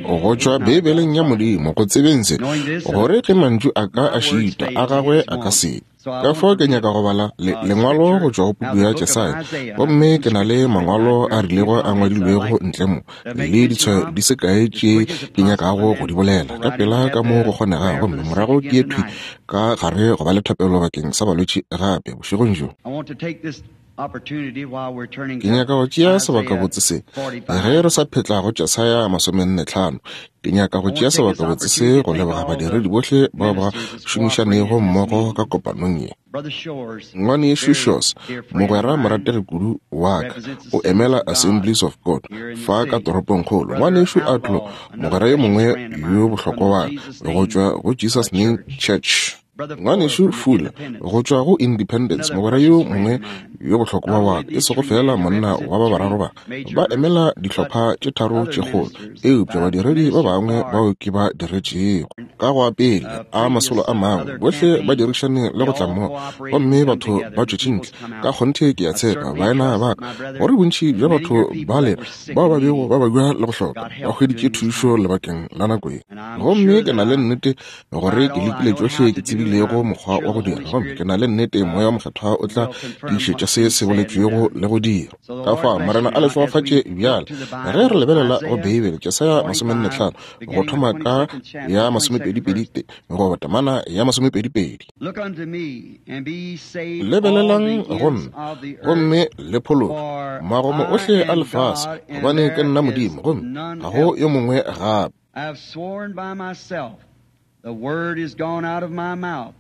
Go tšwa Beibeleng ya Modimo, go tsebeng se, gore ge mantšu a ka a šitwa, a gagwe a ka se. Ka fao ke nyaka go bala le, Lengwalo go tšwa go puku ya Jesaya, gomme ke na le mangwalo a rilego a ngwadilwego ntle mo, le ditshwayo di se kae tše ke nyakago go di bolela ka pela ka mo go kgonegago, gomme morago ke ye thwi ka gare go ba le thapelo bakeng sa balwetši gape bošegong bjo. Ke nyaka go tšea sebakabotse se ge re sa phetla go Jesaya 45. Ke nyaka go tšea sebakabotse se go leboga badiredi bohle bao ba šomišanego mmogo ka kopanong ye. Ngwanešu Shores, mogwera morategi kudu wa ka, o emela Assemblies of God fa ka toropongkgolo. Ngwanešu Outlaw, mogwera yo mongwe yo bohlokwa wa ka, go tšwa go Jesus Name Church. Ngwanešu Fuller, go tšwa go Independence, mogwera yo mongwe yo bohlokwa wa ka, e sego feela monna wa ba bararo ba, ba emela dihlopha tše tharo tše kgolo, eupša badiredi ba bangwe bao ke ba diretšego. Ka go a pele a masolo a mangwe, bohle ba dirišane le go tla mmogo, gomme batho ba tšwetše ntle. Ka kgonthe ke a tshepa, baena ba ka, gore bontši bja batho bale bao ba bego ba babja le go hloka ba hweditše thušo lebakeng la nako ye. Gomme ke na le nnete gore ke lekile tšohle ke tsebilego mokgwa wa go dira, gomme ke na le nnete Moya wo Mokgethwa o tla tiišetša se se boletšwego le go dira. Ka fao, Morena a le šegofatše bjale ge re lebelela go Beibele, Jesaya 45, go thoma ka ya 22 goba temana ya 22. Lebelelang go nna, gomme le phološwe, magomo ohle a lefase, gobane ke nna Modimo, gomme ga go yo mongwe gape. I have sworn by myself, the word is gone out of my mouth.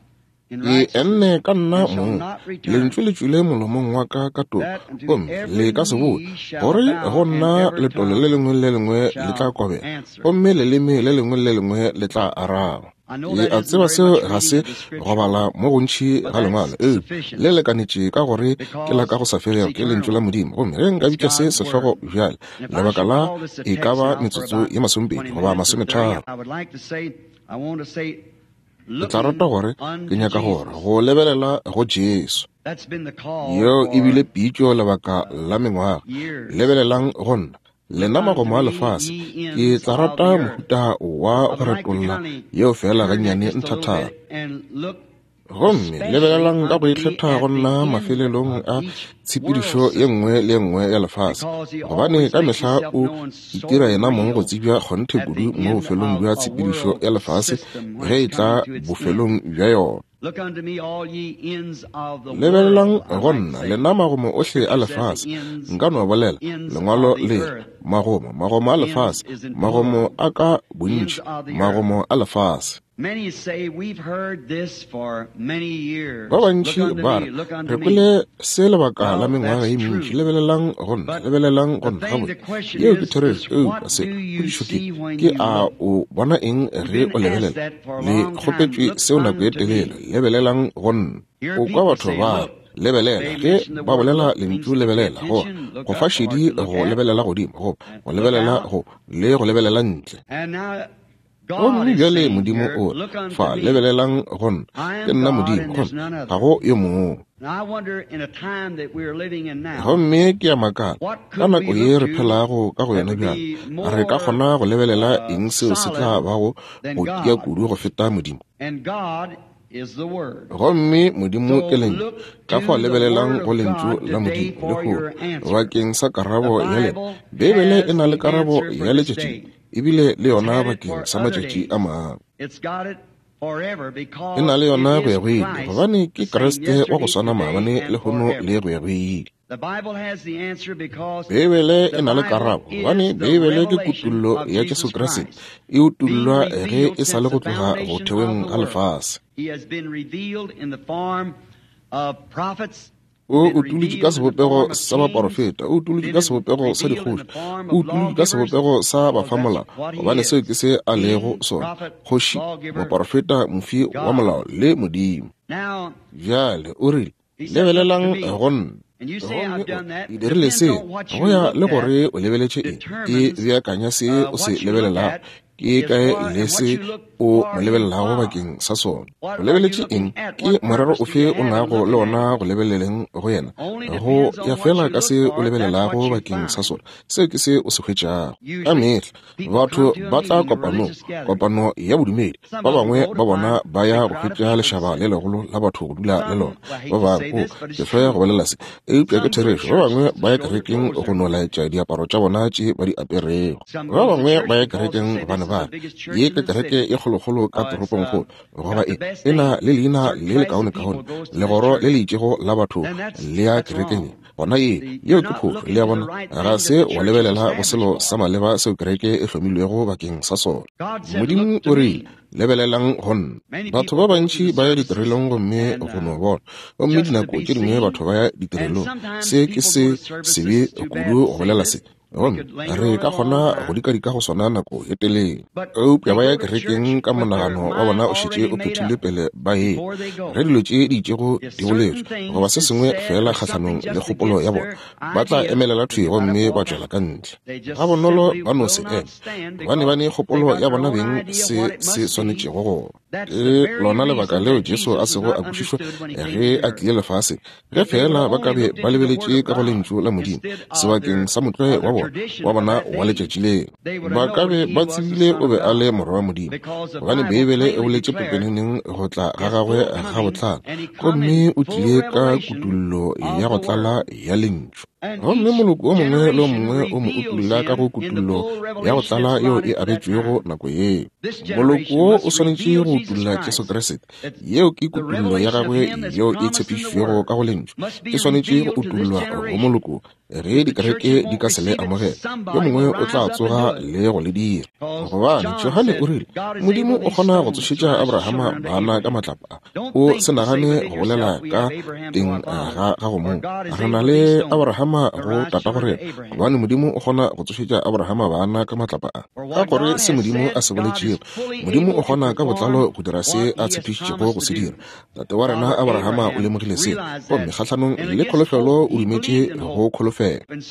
Ke enne ka nna mong, lentšu le tšwile molomong wa ka ka toka, gomme le ka se boe, gore go nna letolo le lengwe le le lengwe le tla kobela, gomme leleme le lengwe le le lengwe le tla araba. Ke a tseba seo ga se go bala mo gontši ga Lengwalo, eupša le lekanetše ka gore ke la ka go sa felego, ke Lentšu la Modimo. Gomme ge nka bitša se sehlogo bjale, lebaka la e ka ba metsotso ye masomepedi goba masometharo, ke tla rata gore ke nyaka gore go lebelela go Jesu. Yeo e bile pitšo lebaka la mengwaga. Lebelelang go nna, Lena magomo a lefase, ke tla rata mohuta wa go retolla yeo feela gannyane nthathana. Gomme lebelelang ka go ikgetha go nna mafelelong a tshepedišo ye nngwe le ye nngwe ya lefase, gobane ka mehla o itira yena mong go tsebja kgonthe kudu mo bofelong bja tshepedišo ya lefase ge e tla bofelong bja yona. Lebelelang go nna, lena magomo ohle a lefase. Nka no bolela, Lengwalo le re, Magomo, magomo a lefase, magomo a ka bontši, magomo a lefase. Ba bantši ba re, Re kwele se lebaka la mengwaga ye mentši. Lebelelang go nna, lebelelang go nna. Gabotse, yeo ke therešo. Eupša se, potšišo ke, ke a o bona eng ge o lebelela? Le kgopetšwe seo nako ye telele. Lebelelang go nna. O kwa batho ba re, Lebelela. Ge ba bolela lentšu lebelela, go go fa šedi go lebelela godimo, go go lebelela go le go lebelela ntle. Gomme bjale Modimo o re, Fa, lebelelang go nna. Ke nna Modimo, gomme ga go yo mongwe. Gomme ke a makala, ka nako ye re phelago ka go yona bjale, re ka kgona go lebelela eng seo se tla bago go tia kudu go feta Modimo? Gomme Modimo ke Lentšu. Ka fao lebelelang go Lentšu la Modimo lehono bakeng sa karabo ya lena. Beibele e na le karabo ya letšatši ebile le yona bakeng sa matšatši a mangwe. E na le yona go ya go ile, gobane ke Kriste wa go swana maabane, lehono le go ya go ile. Beibele e na le karabo, gobane Beibele ke kutollo ya Jesu Kriste, e utollwa ge e sa le go tloga go theweng ga lefase. O utolotšwe ka sebopego sa baporofeta, o utolotšwe ka sebopego sa dikgoši, o utolotšwe ka sebopego sa bafamolao, gobane seo ke se a lego sona, kgoši, moporofeta, mofi wa molao le Modimo. Bjale o rile, Lebelelang go nna. Gomme o ke dirile se go ya le gore o lebeletše eng, e beakanya se o se lebelelago. Ke kae le se o mo lebelelago bakeng sa sona? O lebeletše eng? Ke morero ofe o nago le ona go lebeleleng go yena? Go ya fela ka se o lebelelago bakeng sa sona, seo ke se o se hwetšago. Ka mehla batho ba tla kopanong, kopano ya bodumedi. Ba bangwe ba bona ba ya go hwetša lešaba le legolo la batho go dula le lona. Ba bangwe, o, ke hloya go bolela se, eupša ke therešo, ba bangwe ba ya kerekeng go no laetša diaparo tša bona tše ba di aperego. Ba bangwe ba ya kerekeng gobane ba re, Ye ke kereke e kgolokgolo ka toropongkgolo, goba e, e na le leina le lekaonekaone, legoro le le itšego la batho le ya kerekeng ye. Gona ye, yeo ke phošo, le a bona, ga se wa lebelela go selo sa maleba seo kereke e hlomilwego bakeng sa sona. Modimo o rile, Lebelelang go nna. Batho ba bantši ba ya ditirelong gomme go no bona, gomme dinako tše dingwe batho ba ya ditirelong. Se ke se sebe kudu go bolela se, gomme re ka kgona go dikadika go sona nako ye telele. Eupša ba ya kerekeng ka monagano wa bona o šetše o phethilwe pele ba e ge dilo tše di itšego di boletšwe goba se sengwe feela kgahlanong le kgopolo ya bona, ba tla emelela thwi gomme ba tšwela ka ntle. Gabonolo ba no se eme, gobane ba ne kgopolo ya bona beng se se swanetšego go ba. Ke lona lebaka leo Jesu a sego a kwešišwa ge a tlile lefaseng. Ge feela ba ka be ba lebeletše ka go Lentšu la Modimo sebakeng sa motlwae wa bona, wa bona wa letšatši leo, ba ka be ba tsebile o be a le Morwa wa Modimo, gobane Beibele e boletše pepeneneng go tla ga gagwe ga botlalo, gomme o tlile ka kutollo ya go tlala ya Lentšu. Gomme moloko o mongwe le o mongwe o mo utolla ka go kutollo ya go tlala yeo e abetšwego nako yeo. Moloko wo o swanetše go utolla Jesu Kriste. Yeo ke kutollo ya gagwe yeo e tshepišitšwego ka go Lentšu. E swanetše go utollwa go moloko. Ge dikereke di ka se le amogele, yo mongwe o tla tsoga le go le dira. Gobane Johane o rile, Modimo o kgona go tsošetša Abrahama bana ka matlapa a. O se nagane go bolela ka teng ga gago mong, Re na le Abrahama go tatago rena, gobane Modimo o kgona go tsošetša Abrahama bana ka matlapa a. Ka gore se Modimo a se boletšego, Modimo o kgona ka botlalo go dira se a tshepišitšego go se dira. Tate wa rena Abrahama o lemogile se, gomme kgahlanong le kholofelo o dumetše go kholofelo,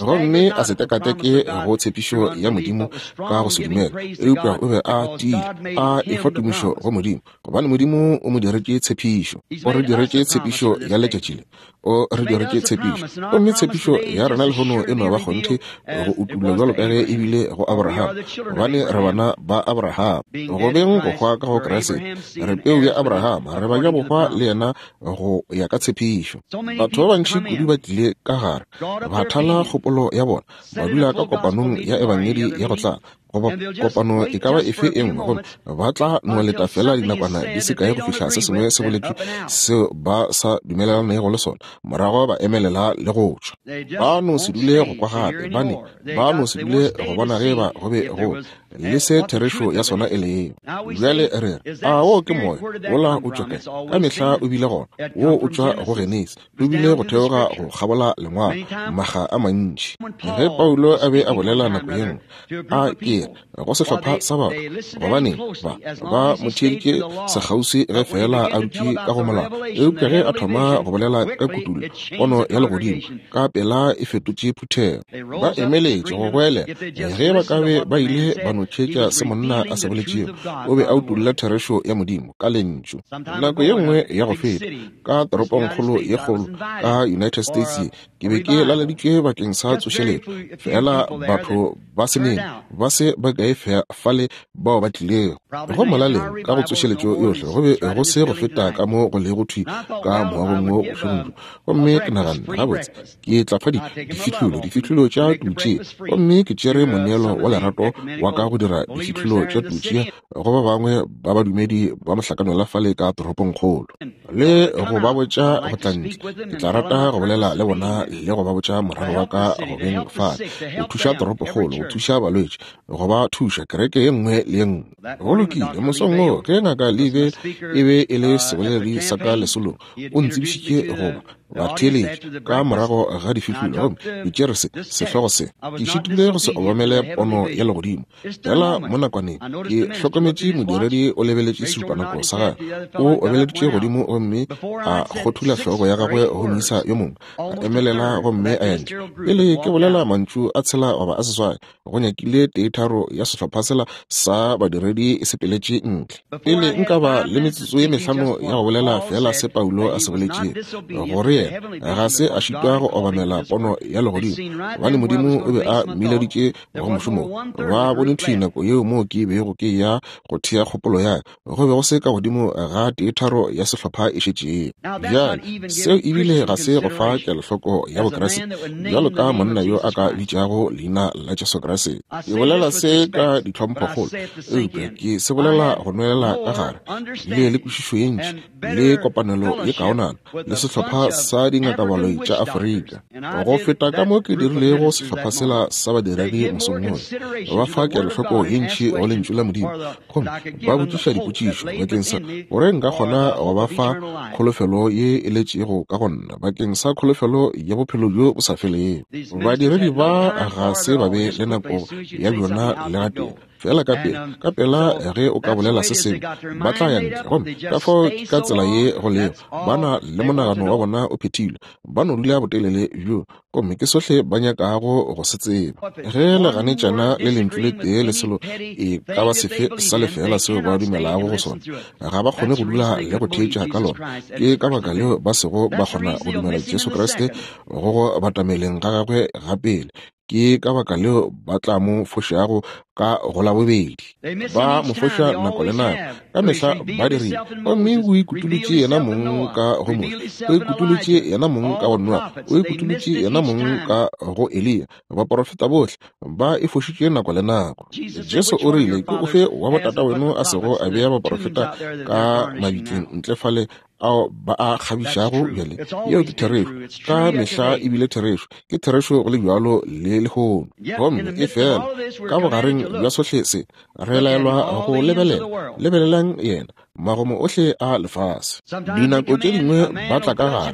gomme a se tekateke go tshepišo ya Modimo ka go se dumele, eupša o be a tiile, a efa tumišo go Modimo, gobane Modimo o mo diretše tshepišo. O re diretše tshepišo ya letšatši le. O re diretše tshepišo. Gomme tshepišo ya rena lehono e no ba kgonthe go utullwa bjalo ka ge e bile go Abraham, gobane re bana ba Abraham. Go beng go hwa ka go Kriste, re peu ya Abraham, re ba ja bohwa le yena go ya ka tshepišo. Batho ba bantši kudu ba tlile ka gare, ba thala kgopolo ya bona, ba dula ka kopanong ya Ebangedi ya go tlala, goba kopano e ka ba efe e nngwe, gomme ba tla no leta fela dinakwana di se kae go fihla se sengwe se boletšwe seo ba sa dumelelanego le sona, morago ba emelela le go tšwa. Ba no se dule go kwa gape, ba ne ba no se dule go bona ge ba go be go le se therešo ya sona e lego. Bjale re re, a wo ke moya wola o tšwa kae? Ka mehla o bile gona. Wo o tšwa go Genesi. O bile go theoga go kgabola Lengwalo makga a mantši. Ge Paulo a be a bolela nako ye nngwe, a ke re go sehlopha sa batho, gobaneng, ba, ba mo theeditše sekgauswi ge feela a dutše ka go molao. Eupša ge a thoma go bolela ka kutullo, pono ya legodimo, ka pela e fetotše phuthego. Ba emeletše go goelela. Ge ba ka be ba ile ba no theetša se monna a se boletšego, o be a utolla therešo ya Modimo ka Lentšu. Nako ye nngwe ya go feta, ka toropongkgolo ye kgolo ka United States ye, ke be ke laleditšwe bakeng sa tsošeletšo, fela batho ba se nene, ba se ba kae fale bao ba tlilego. Go molaleng ka go tsošeletšo yohle go be go se go feta ka mo go lego thwi ka moagong wo bošegong bjo. Gomme ke naganne, gabotse, ke tla fa difihlolo, difihlolo tša tutše. Gomme ke tšere moneelo wa lerato wa ka go dira difihlolo tša tutše go ba bangwe ba badumedi ba mohlakanola fale ka toropongkgolo, le go ba botša go tla ntle. Ke tla rata go bolela le bona le go ba botša morero wa ka go beng fale, go thuša toropokgolo, go thuša balwetši, go ba thuša kereke ye nngwe le ye nngwe. Go lokile, mosong wo ge Ngaka Lee e be e le seboledi sa ka lesolong, o ntsebišitše goba. Batheeletši, ka morago ga difihlolo, gomme ke tšere se, sehlogo se. Ke šitilwe go se obamele pono ya legodimo. Fela mo nakwaneng, ke hlokometše modiredi o lebeletše sešupanako sa gagwe. O obeleditše godimo gomme a kgothula hlogo ya gagwe go moisa yo mongwe, a emelela gomme a ya ntle. Pele ke bolela mantšu a tshela goba a seswai, go nyakile teetharo ya sehlopha sela sa badiredi e sepeletše ntle. Pele nka ba le metsotso ye mehlano ya go bolela feela se Paulo a se boletšego, gore yena ga se a šitwa go obamela pono ya legodimo, gobane Modimo o be a mmileditše go mošomo wo. Ba bone thwi nako yeo moo ke bego ke eya go thea kgopolo ya ka, go be go se ka godimo ga teetharo ya sehlopha e šetšego. Bjale, seo ebile ga se go fa kelohloko ya Bokriste, bjalo ka monna yo a ka bitšago leina la Jesu Kriste. Ke bolela se ka ditlhomphokgolo, eupša ke se bolela go nwelela ka gare. Bile le kwešišo ye ntši le kopanelo ye kaonana le sehlopha sa dingakabaloi tša Afrika go feta ka mo ke dirilego sehlopha sela sa badiredi mosong wola. Ba fa kelohloko ye ntši go Lentšu la Modimo gomme ba botšiša dipotšišo bakeng sa gore nka kgona go ba fa kholofelo ye e letšego ka go nna bakeng sa kholofelo ya bophelo bjo bo sa felego. Badiredi ba ga se ba be le nako ya bjona le gatee. Feela ka pela, ka pela ge o ka bolela se sengwe, ba tla ya ntle. Gomme ka fao ke ka tsela ye go lego, ba na le monagano wa bona o phethilwe, ba no dula botelele bjo, gomme ke sohle ba nyakago go se tseba. Ge le ganetšana le lentšu le tee le selo e ka ba sefe sa lefeela seo ba dumelago go sona, ga ba kgone go dula le go theetša ka lona. Ke ka baka leo ba sego ba kgona go dumela Jesu Kriste go go batameleng ga gagwe ga pele. Ke ka baka leo ba tla mo fošago ka go la bobedi. Ba mo foša nako le nako, ka mehla ba dirile. Gomme o ikutulotše yena mong ka go Moshe, o ikutulotše yena mong ka go Noa, o ikutulotše yena mong ka go Eliya. Baporofeta bohle ba e fošitše nako le nako. Jesu o rile, Ke ofe wa botataweno a sego a bea baporofeta ka mabitleng ntle fale ao ba a kgabišago bjale? Yeo ke therešo. Ka mehla e bile therešo. Ke therešo go le bjalo le lehono. Gomme e fela ka bogareng bja sohle se, re laelwa go lebelela. Lebelelang yena, magomo ohle a lefase. Dinako tše dingwe ba tla ka gare,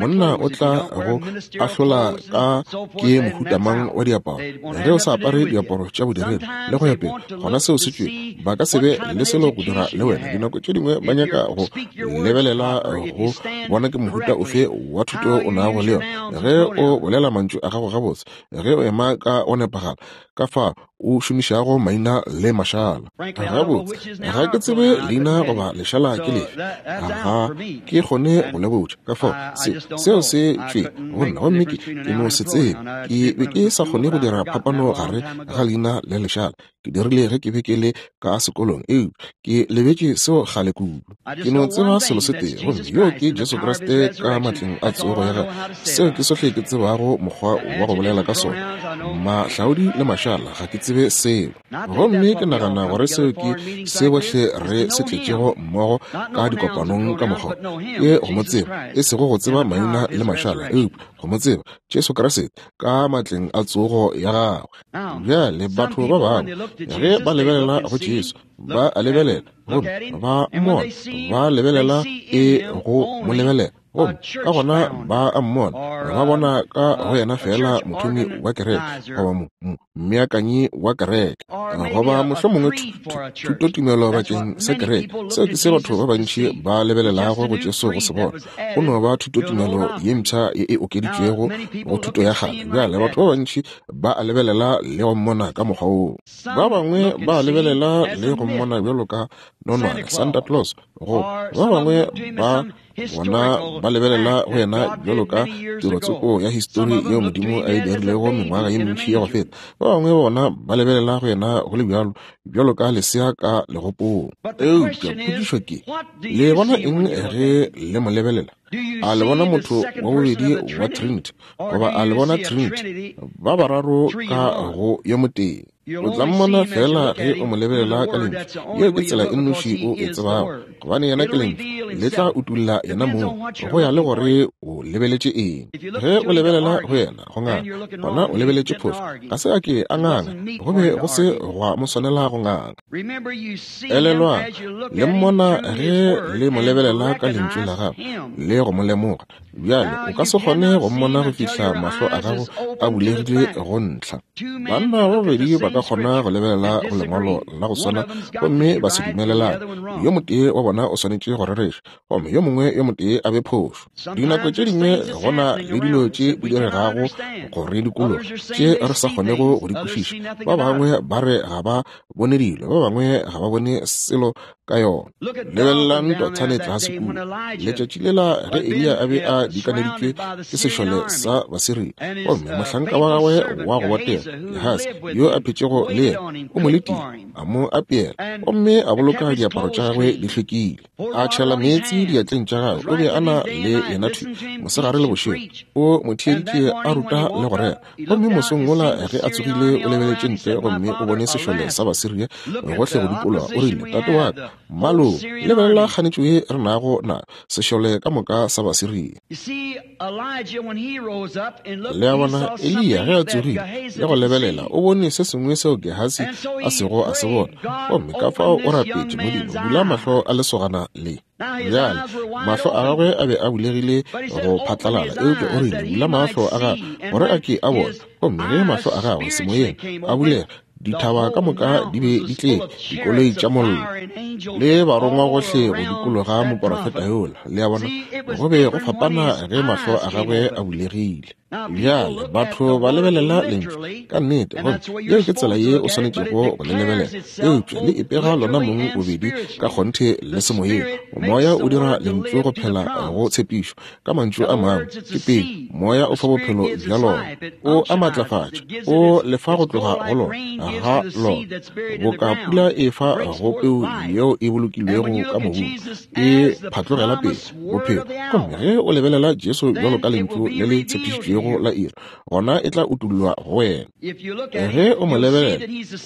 monna o tla go ahlola ka ke mohuta mang wa diaparo. Ge o sa apare diaparo tša bodiredi le go ya pele, gona seo se tšwe. Ba ka se be le selo go dira le wena. Dinako tše dingwe ba nyaka go lebelela go bona ke mohuta ofe wa thuto o nago le yona. Ge o bolela mantšu a gago gabotse, ge o ema ka go nepagala, ka fa o šomišago maina le mašala. Gabotse, ga ke tsebe leina goba lešala ke lefe, ga ke kgone go le botša. Ka fao se, seo se tšwe go nna, gomme ke, ke no se tsebe. Ke be ke sa kgone go dira phapano gare ga leina le lešala. Ke dirile ge ke be ke le ka sekolong, eupša ke lebetše seo kgale kudu. Ke no tseba selo se tee, gomme yoo ke Jesu Kriste ka matleng a tsogo ya gagwe. Seo ke sohle ke tsebago mokgwa wa go bolela ka sona. Mahlaodi le mašala, ga ke tsebe selo. Gomme ke nagana gore seo ke se bohle re se tletšego mmogo ka dikopanong ka mokgwa wo, ke go mo tseba, e sego go tseba maina le mašala, eupša go mo tseba, Jesu Kriste ka matleng a tsogo ya gagwe. Bjale batho ba bangwe ge ba lebelela go Jesu, ba a lebelela gomme ba mmona, ba lebelela e go mo lebelela, gomme ka gona ba a mmona, ba bona ka go yena feela mothomi wa kereke goba mmeakanyi wa kereke goba mohlomongwe thutotumelo bakeng sa kereke. Seo ke se batho ba bantši ba lebelelago go Jesu go se bona. Go no ba thutotumelo ye mpsha ye e okeditšwego go thuto ya kgale. Bjale batho ba bantši ba a lebelela le go mmona ka mokgwa woo. Ba bangwe ba a lebelela le go mmona bjalo ka nonwane, Santa Claus, go ba bangwe ba bona ba lebelela go yena bjalo ka tirotsoko ya histori yeo Modimo a e dirilego mengwaga ye mentši ya go feta. Ba bangwe bona ba lebelela go yena go le bjalo bjalo ka lesea ka legopong. Eupša potšišo ke, le bona eng ge le mo lebelela? A le bona motho wa bobedi wa Trinity, goba a le bona Trinity ba bararo ka go yo motee? O tla mmona feela ge o mo lebelela ka Lentšu. Yeo ke tsela e nnoši o e tsebago, gobane yena ke Lentšu. Le tla utulla yena mong, go ya le gore. O lebeletše eng? Ge o lebelela go yena go nganga, gona o lebeletše phošo. Ga se a ke a nganga, go be go se gwa mo swanela go nganga. Elelwang, le mmona ge le mo lebelela ka lentšu la gagwe le go mo lemoga. Bjale, o ka se kgone go mmona go fihla mahlo a gago a bulegile go ntlha. Banna ba babedi ba ka kgona go lebelela go lengwalo la go swana gomme ba se dumelelane. Yo motee wa bona o swanetše go rereša, gomme yo mongwe yo motee a be phošo. Dinako tše dingwe go na le dilo tše di diregago go re dikologa tše re sa kgonego go di kwešiša. Ba bangwe ba re ga ba bone dilo, ba bangwe ga ba bone selo ka yona. Lebelelang Dothane tlase kua letšatši lela ge Eliya a be a dikaneditšwe ke sešole sa Basiria, gomme mohlanka wa gagwe wa go botega Gehasi yo a phetšego le yena o mo letile, a mo apeela gomme a boloka diaparo tša gagwe di hlwekile, a tšhela meetse diatleng tša gagwe. O be a na le yena thwi mosegare le bošego, o mo theeditše a ruta le go rera. Gomme mosong wola ge a tsogile, o lebeletše ntle gomme o bone sešole sa Basiria gohle go dikologa. O rile, Tate wa ka, mmalo, lebelela kganetšo ye re nago na, sešole ka moka sa Basiria. Le a bona, Eliya ge a tsogile le go lebelela, o bone se sengwe seo Gehasi a sego a se bona. Gomme ka fao o rapetše, Modimo, bula mahlo a lesogana le. Bjale, mahlo a gagwe a be a bulegile go phatlalala, eupša o rile, Bula mahlo a gagwe gore a ke a bone. Gomme ge mahlo a gagwe semoyeng a bulega, dithaba ka moka di be di tletše dikoloi tša mollo le barongwa gohle go dikologa moporofeta yola. Le a bona, go be go fapana ge mahlo a gagwe a bulegile. Bjale batho ba lebelela lentšu ka nnete, gomme yeo ke tsela ye o swanetšego go le lebelela, eupša le ipega lona mong bobedi ka kgonthe le semoyeng. Moya o dira lentšu go phela go tshepišo. Ka mantšu a mangwe, ke pele moya o fa bophelo bja lona, o a matlafatša, o le fa go tloga go lona, ga lona, boka pula e fa go peu yeo e bolokilwego ka mobung, e phatlogela pele bophelo. Gomme ge o lebelela Jesu bjalo ka lentšu le le tshepišitšwego la iri, gona e tla utollwa go wena. Ge o mo lebelela,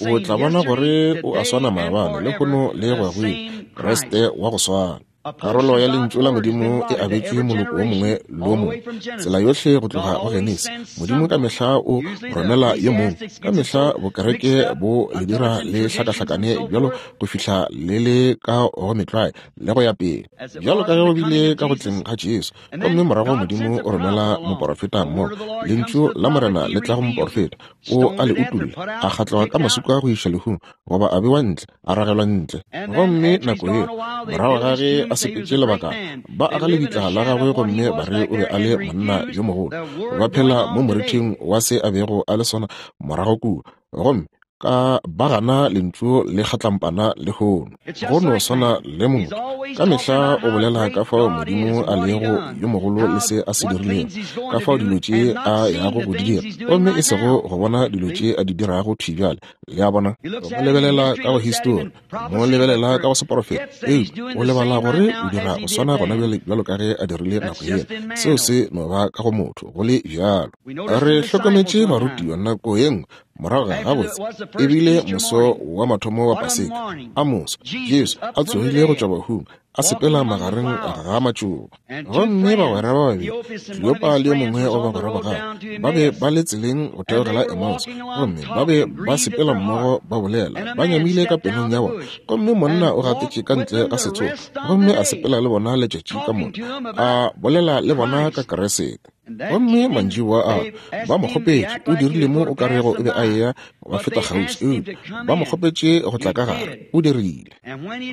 o tla bona gore o a swana maabane, lehono le go ya go ile, Kriste wa go swana. Karolo ya lentšu la Modimo e abetšwe moloko wo mongwe le wo mongwe, tsela yohle go tloga go Genesi. Modimo ka mehla o romela yo mongwe. Ka mehla bokereke bo le dira le hlakahlakane bjalo go fihla le le ka go metlwae le go ya pele, bjalo ka ge go bile ka go tleng ga Jesu. Gomme morago Modimo o romela moporofeta mo, Lentšu la Morena le tla go moporofeta, o a le utolla, a kgatlwa ka maswika go iša lehung, goba a bewa ntle, a ragelwa ntle. Gomme nako yeo, morago ga ge a sepetše lebakana, ba aga lebitla la gagwe gomme ba re o be a le monna yo mogolo. Ba phela mo morithing wa se a bego a le sona morago kua. Gomme ka ba gana lentšu le kgatlampana lehono. Go no swana le motho, ka mehla o bolela ka fao Modimo a lego yo mogolo le se a se dirilego, ka fao dilo tše a yago go di dira, gomme e sego go bona dilo tše a di dirago thwi bjale. Le a bona? Go mo lebelela ka go histori, mo lebelela ka go seporofeta, eupša o lebala gore o dira go swana gona bjale bjalo ka ge a dirile nako yela. Seo se no ba ka go motho, go le bjalo. Re hlokometše barutiwa nako ye nngwe morago ga gabotse e bile moso wa mathomo wa Paseka, a moso Jesu a tsogile go tšwa bahung, a sepela magareng ga matšoba. Gomme bagwera ba babedi, Kleopa le yo mongwe wa bagwera ba gagwe, ba be ba le tseleng go theogela Emmaus, gomme ba be ba sepela mmogo ba bolela, ba nyamile ka pelong ya bona. Gomme monna o gatetše ka ntle ga setsogo, gomme a sepela le bona letšatši ka moka, a bolela le bona ka Keresete. Gomme mantšiboa ao ba mo kgopetše, o dirile mo o ka rego o be a eya ba feta kgauswi, eupša ba mo kgopetše go tla ka gare, o dirile.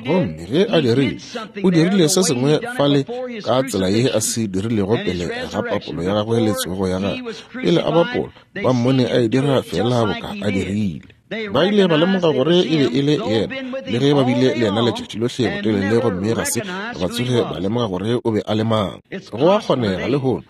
Gomme ge a dirile, o dirile se sengwe fale ka tsela ye a se dirilego pele ga papolo ya gagwe le tsogo ya gagwe. Pele a bapola, ba mmone a e dira feela boka a dirile. Ba ile ba lemoga gore e be e le yena, le ge ba bile le yena letšatši lohle botelele gomme ga se ba tsoge ba lemoga gore o be a le mang. Go a kgonega lehono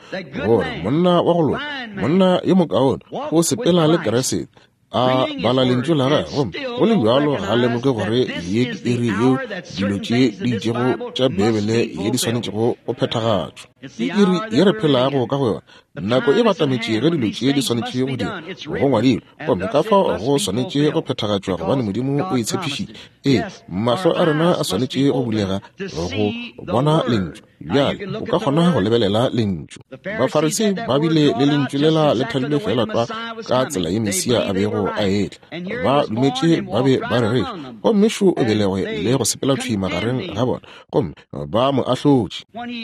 gore monna wa go loka, monna yo mokaone, o sepela le Keresete, a bala lentšu la gagwe, gomme go le bjalo ga a lemoge gore ye ke iri yeo dilo tše di itšego tša Beibele ye di swanetšego go phethagatšwa. Ke iri ye re phelago ka go yona. Nako e batametše ge dilo tše di swanetše go dirwa. Go ngwadilwe, gomme ka fao go swanetše go phethagatšwa, gobane Modimo o e tshepišitše. Ee, mahlo a rena a swanetše go bulega go bona Lentšu. Bjale o ka kgona go lebelela Lentšu. Bafarisei ba bile le Lentšu lela le thadilwe feela tlwa ka tsela ye Mesia a bego a etla. Ba dumetše ba be ba rereša, gomme šo o belegwe le go sepela thwi magareng ga bona, gomme ba mo ahlotše.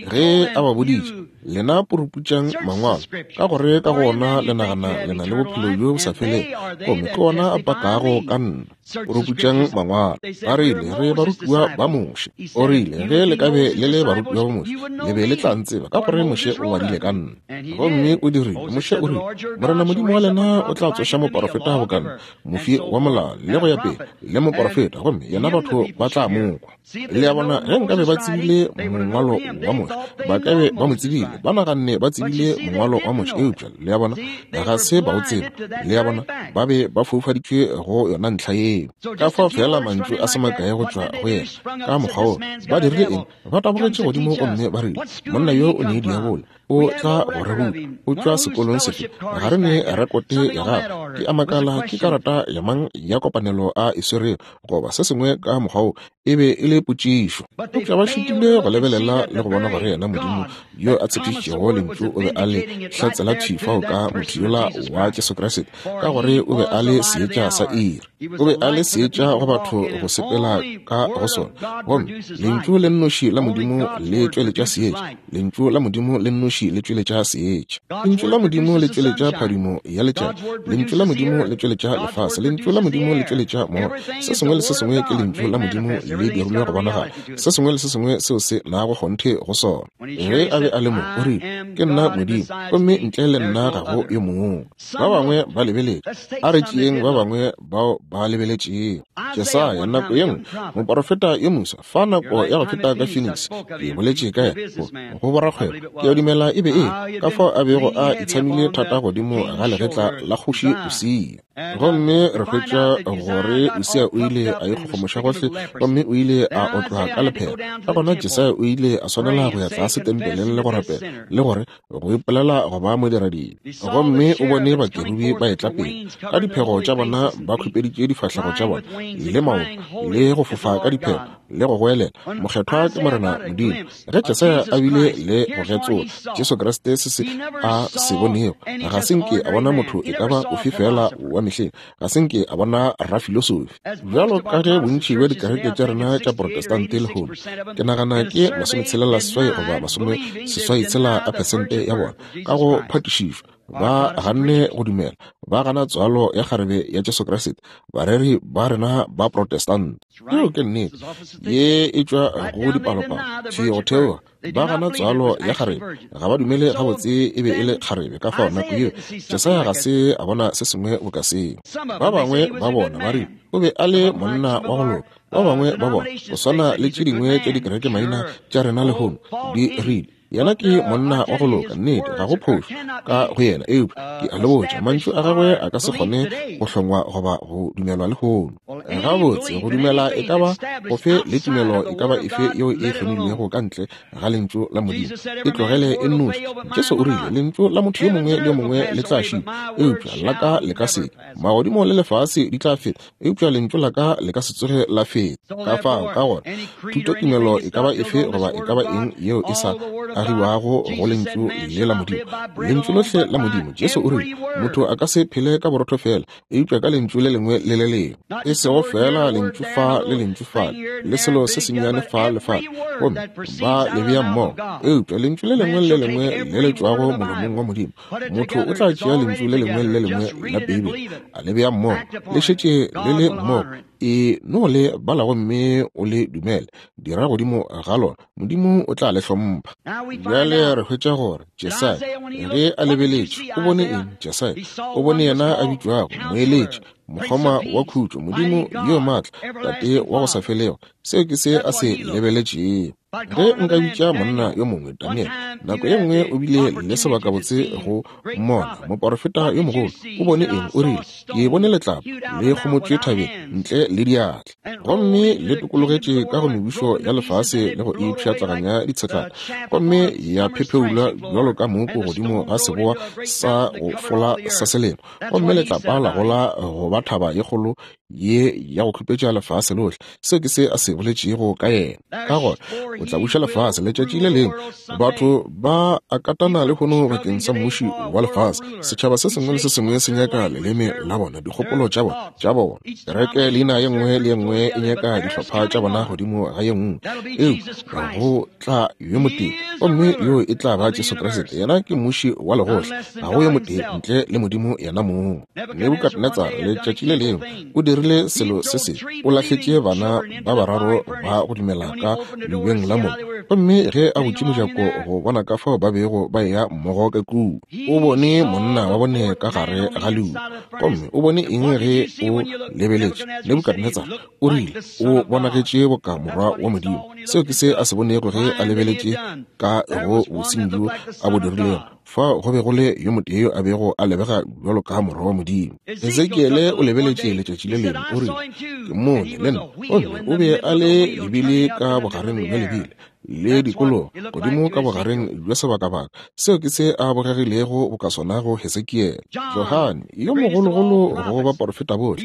Ge a ba boditše, Lena puruputšang Mangwalo, ka gore ka go ona le nagana le na le bophelo bjo bo sa felego, gomme ke ona a pakago ka nna. Puruputšang Mangwalo. Ba rile, Re barutiwa ba Moshe. O rile, Ge le ka be le le barutiwa ba Moshe, le be le tla ntseba, ka gore Moshe o ngwadile ka nna. Gomme o dirile. Moshe o rile, Morena Modimo wa lena o tla tsoša moporofeta boka nna, mofi wa molao, le go ya pele, le moporofeta, gomme yena batho ba tla mo kwa. Le a bona, ge nkabe ba tsebile mongwalo wa Moshe, ba ka be ba mo tsebile. Ba naganne ba tsebile mongwalo wa Moshe, eupša, le a bona, ga se ba o tseba. Le a bona, ba be ba foufaditšwe go yona ntlha yeo. Ka fao feela mantšu a se makae go tšwa go yena, ka mokgwa wo. Ba dirile eng? Ba tabogetše godimo gomme ba rile, Monna yo o ne diabolo. O tla go re ruta. O tšwa sekolong sefe? Ga re ne rekote ya gagwe. Ke a makala ke karata ya mang ya kopanelo a e swerego, goba se sengwe ka mokgwa wo. E be e le potšišo. Eupša ba šitilwe go lebelela le go bona gore yena Modimo yo a tshepišitšego Lentšu o be a le hlatsela thwi fao ka motho yola wa Jesu Kriste, ka gore o be a le seetša sa iri. O be a le seetša go batho go sepela ka go sona. Gomme Lentšu le nnoši la Modimo le tšweletša seetša. Lentšu la Modimo le nnoši le tšweletša seetša. Lentšu la Modimo le tšweletša phadimo ya letšatši. Lentšu la Modimo le tšweletša lefase. Lentšu la Modimo le tšweletša moya. Se sengwe le se sengwe ke Lentšu la Modimo le dirilwe go bonagala. Se sengwe le se sengwe seo se nago kgonthe go sona. Ge a be a le mo, o rile, Ke nna Modimo, gomme ntle le nna ga go yo mongwe. Ba bangwe ba lebeletše. A re tšeeng ba bangwe bao ba lebeletšego. Jesaya, nako ye nngwe, moporofeta yo moswa, fa nako ya go feta ka Phoenix, ke boletše ka yena go borakgwebo. Ke a dumela e be e ka fao a bego a itshamile thata godimo ga legetla la kgoši Usia. Gomme re hwetša gore Usia o ile a ikgogomoša gohle gomme o ile a otlwa ka lephera. Ka gona Jesaya o ile a swanela go ya tlase tempeleng le go rapela le gore go ipolela go ba modiradibe. Gomme o bone bakerubi ba etla pele ka diphego tša bona, ba khupeditše difahlego tša bona le maoto, le go fofa ka diphego, le go goelela, Mokgethwa ke Morena Modimo. Ge Jesaya a bile le go getsola Jesu Kriste, se se a se bonego, ga se nke a bona motho e ka ba ofe feela wa mehleng, ga se nke a bona rafilosofi. Bjalo ka ge bontši bja dikereke tša rena tša Protestante lehono, ke nagana ke 68 goba 86 a phesente ya bona, ka go phatišišo, ba ganne go dumela, ba gana tswalo ya kgarebe ya Jesu Kriste, bareri ba rena ba Protestant. Yeo ke nnete. Ye e tšwa go dipalopalo, thwi go theoga. Ba gana tswalo ya kgarebe, ga ba dumele gabotse e be e le kgarebe. Ka fao nako yeo Jesaya ga se a bona se sengwe boka seo. Ba bangwe ba bona ba rile o be a le monna wa go loka. Ba bangwe ba bona, go swana le tše dingwe tša dikereke maina tša rena lehono, di rile yena ke monna wa go loka. Nnete, ga go phošo ka go yena, eupša ke a le botša, mantšu a gagwe a ka se kgone go hlongwa goba go dumelwa lehono. Gabotse, go dumela e ka ba gofe le tumelo e ka ba efe yeo e hlomilwego ka ntle ga Lentšu la Modimo, e tlogele e nnoši. Jesu o rile, Lentšu la motho yo mongwe le yo mongwe le tla šitwa, eupša la ka le ka se. Magodimo le lefase di tla feta, eupša Lentšu la ka le ka se tsoge la feta. Ka fao, ka gona, thutotumelo e ka ba efe goba e ka ba eng yeo e sa agiwago go Lentšu le la Modimo, Lentšu lohle la Modimo, Jesu o rile, motho a ka se phele ka borotho feela, eupša ka lentšu le lengwe le le lengwe, e sego feela lentšu fa le lentšu fale, le selo se sennyane fa le fale, gomme ba le bea mmogo, eupša lentšu le lengwe le le lengwe le le tšwago molomong wa Modimo. Motho o tla tšea lentšu le lengwe le le lengwe la Beibele, a le bea mmogo, le šetše le le mmogo, e no le bala gomme o le dumele, dira godimo ga lona, Modimo o tla le hlompha. Bjale re hwetša gore Jesaya, ge a lebeletše, o bone eng? Jesaya o bone yena a bitšwago Moeletši, Mokgoma wa Khutšo, Modimo yo maatla, Tate wa go sa felego. Seo ke se a se lebeletšego. Ge nka bitša monna yo mongwe, Daniel, nako ye nngwe o bile le sebakabotse go mmona, moporofeta yo mogolo. O bone eng? O rile, Ke bone letlapa le kgomotšwe thabeng ntle le diatla, gomme le tokologetše ka go mebušo ya lefase le go e pšhatlaganya ditshetlana, gomme ya phepheulwa bjalo ka mooko godimo ga seboa sa go fola sa selemo, gomme letlapa la gola go ba thaba ye kgolo ye ya go khupetša lefase lohle. Seo ke se a se boletšego ka yena. Ka gona o tla buša lefase letšatši le lengwe. Batho ba a katana lehono bakeng sa mmuši wa lefase. Setšhaba se sengwe le se sengwe se nyaka leleme la bona, dikgopolo tša bona, tša bona. Kereke leina ye nngwe le ye nngwe e nyaka dihlopha tša bona godimo ga ye nngwe. Eupša go tla yo motee, gomme yoo e tla ba Jesu Kriste. Yena ke mmuši wa legohle. Ga go yo motee ntle le Modimo yena mong. Nebukadnetsara letšatši le lengwe o dirile selo se se, o lahletše bana ba bararo ba go dumela ka leubeng la mollo. Gomme ge a butše mojako go bona ka fao ba bego ba eya mmogo ka kua, o bone monna wa bone ka gare ga leuba. Gomme o bone eng ge o lebeletše? Nebukadnetsara o rile o bonagetše boka morwa wa Modimo. Seo ke se a se bonego ge a lebeletše ka go bosenyi bjo a bo dirilego. Fao go be go le yo motee yo a bego a lebega bjalo ka morwa wa Modimo. Ezekiele o lebeletše letšatši le lengwe, o rile, Ke mmone le nna. Gomme o be a le lebile ka bogareng bja lebile le dikologa godimo ka bogareng bja sebakabaka. Seo ke se a bogegilego boka sona go Hesekiele. Johane, yo mogologolo go baporofeta bohle,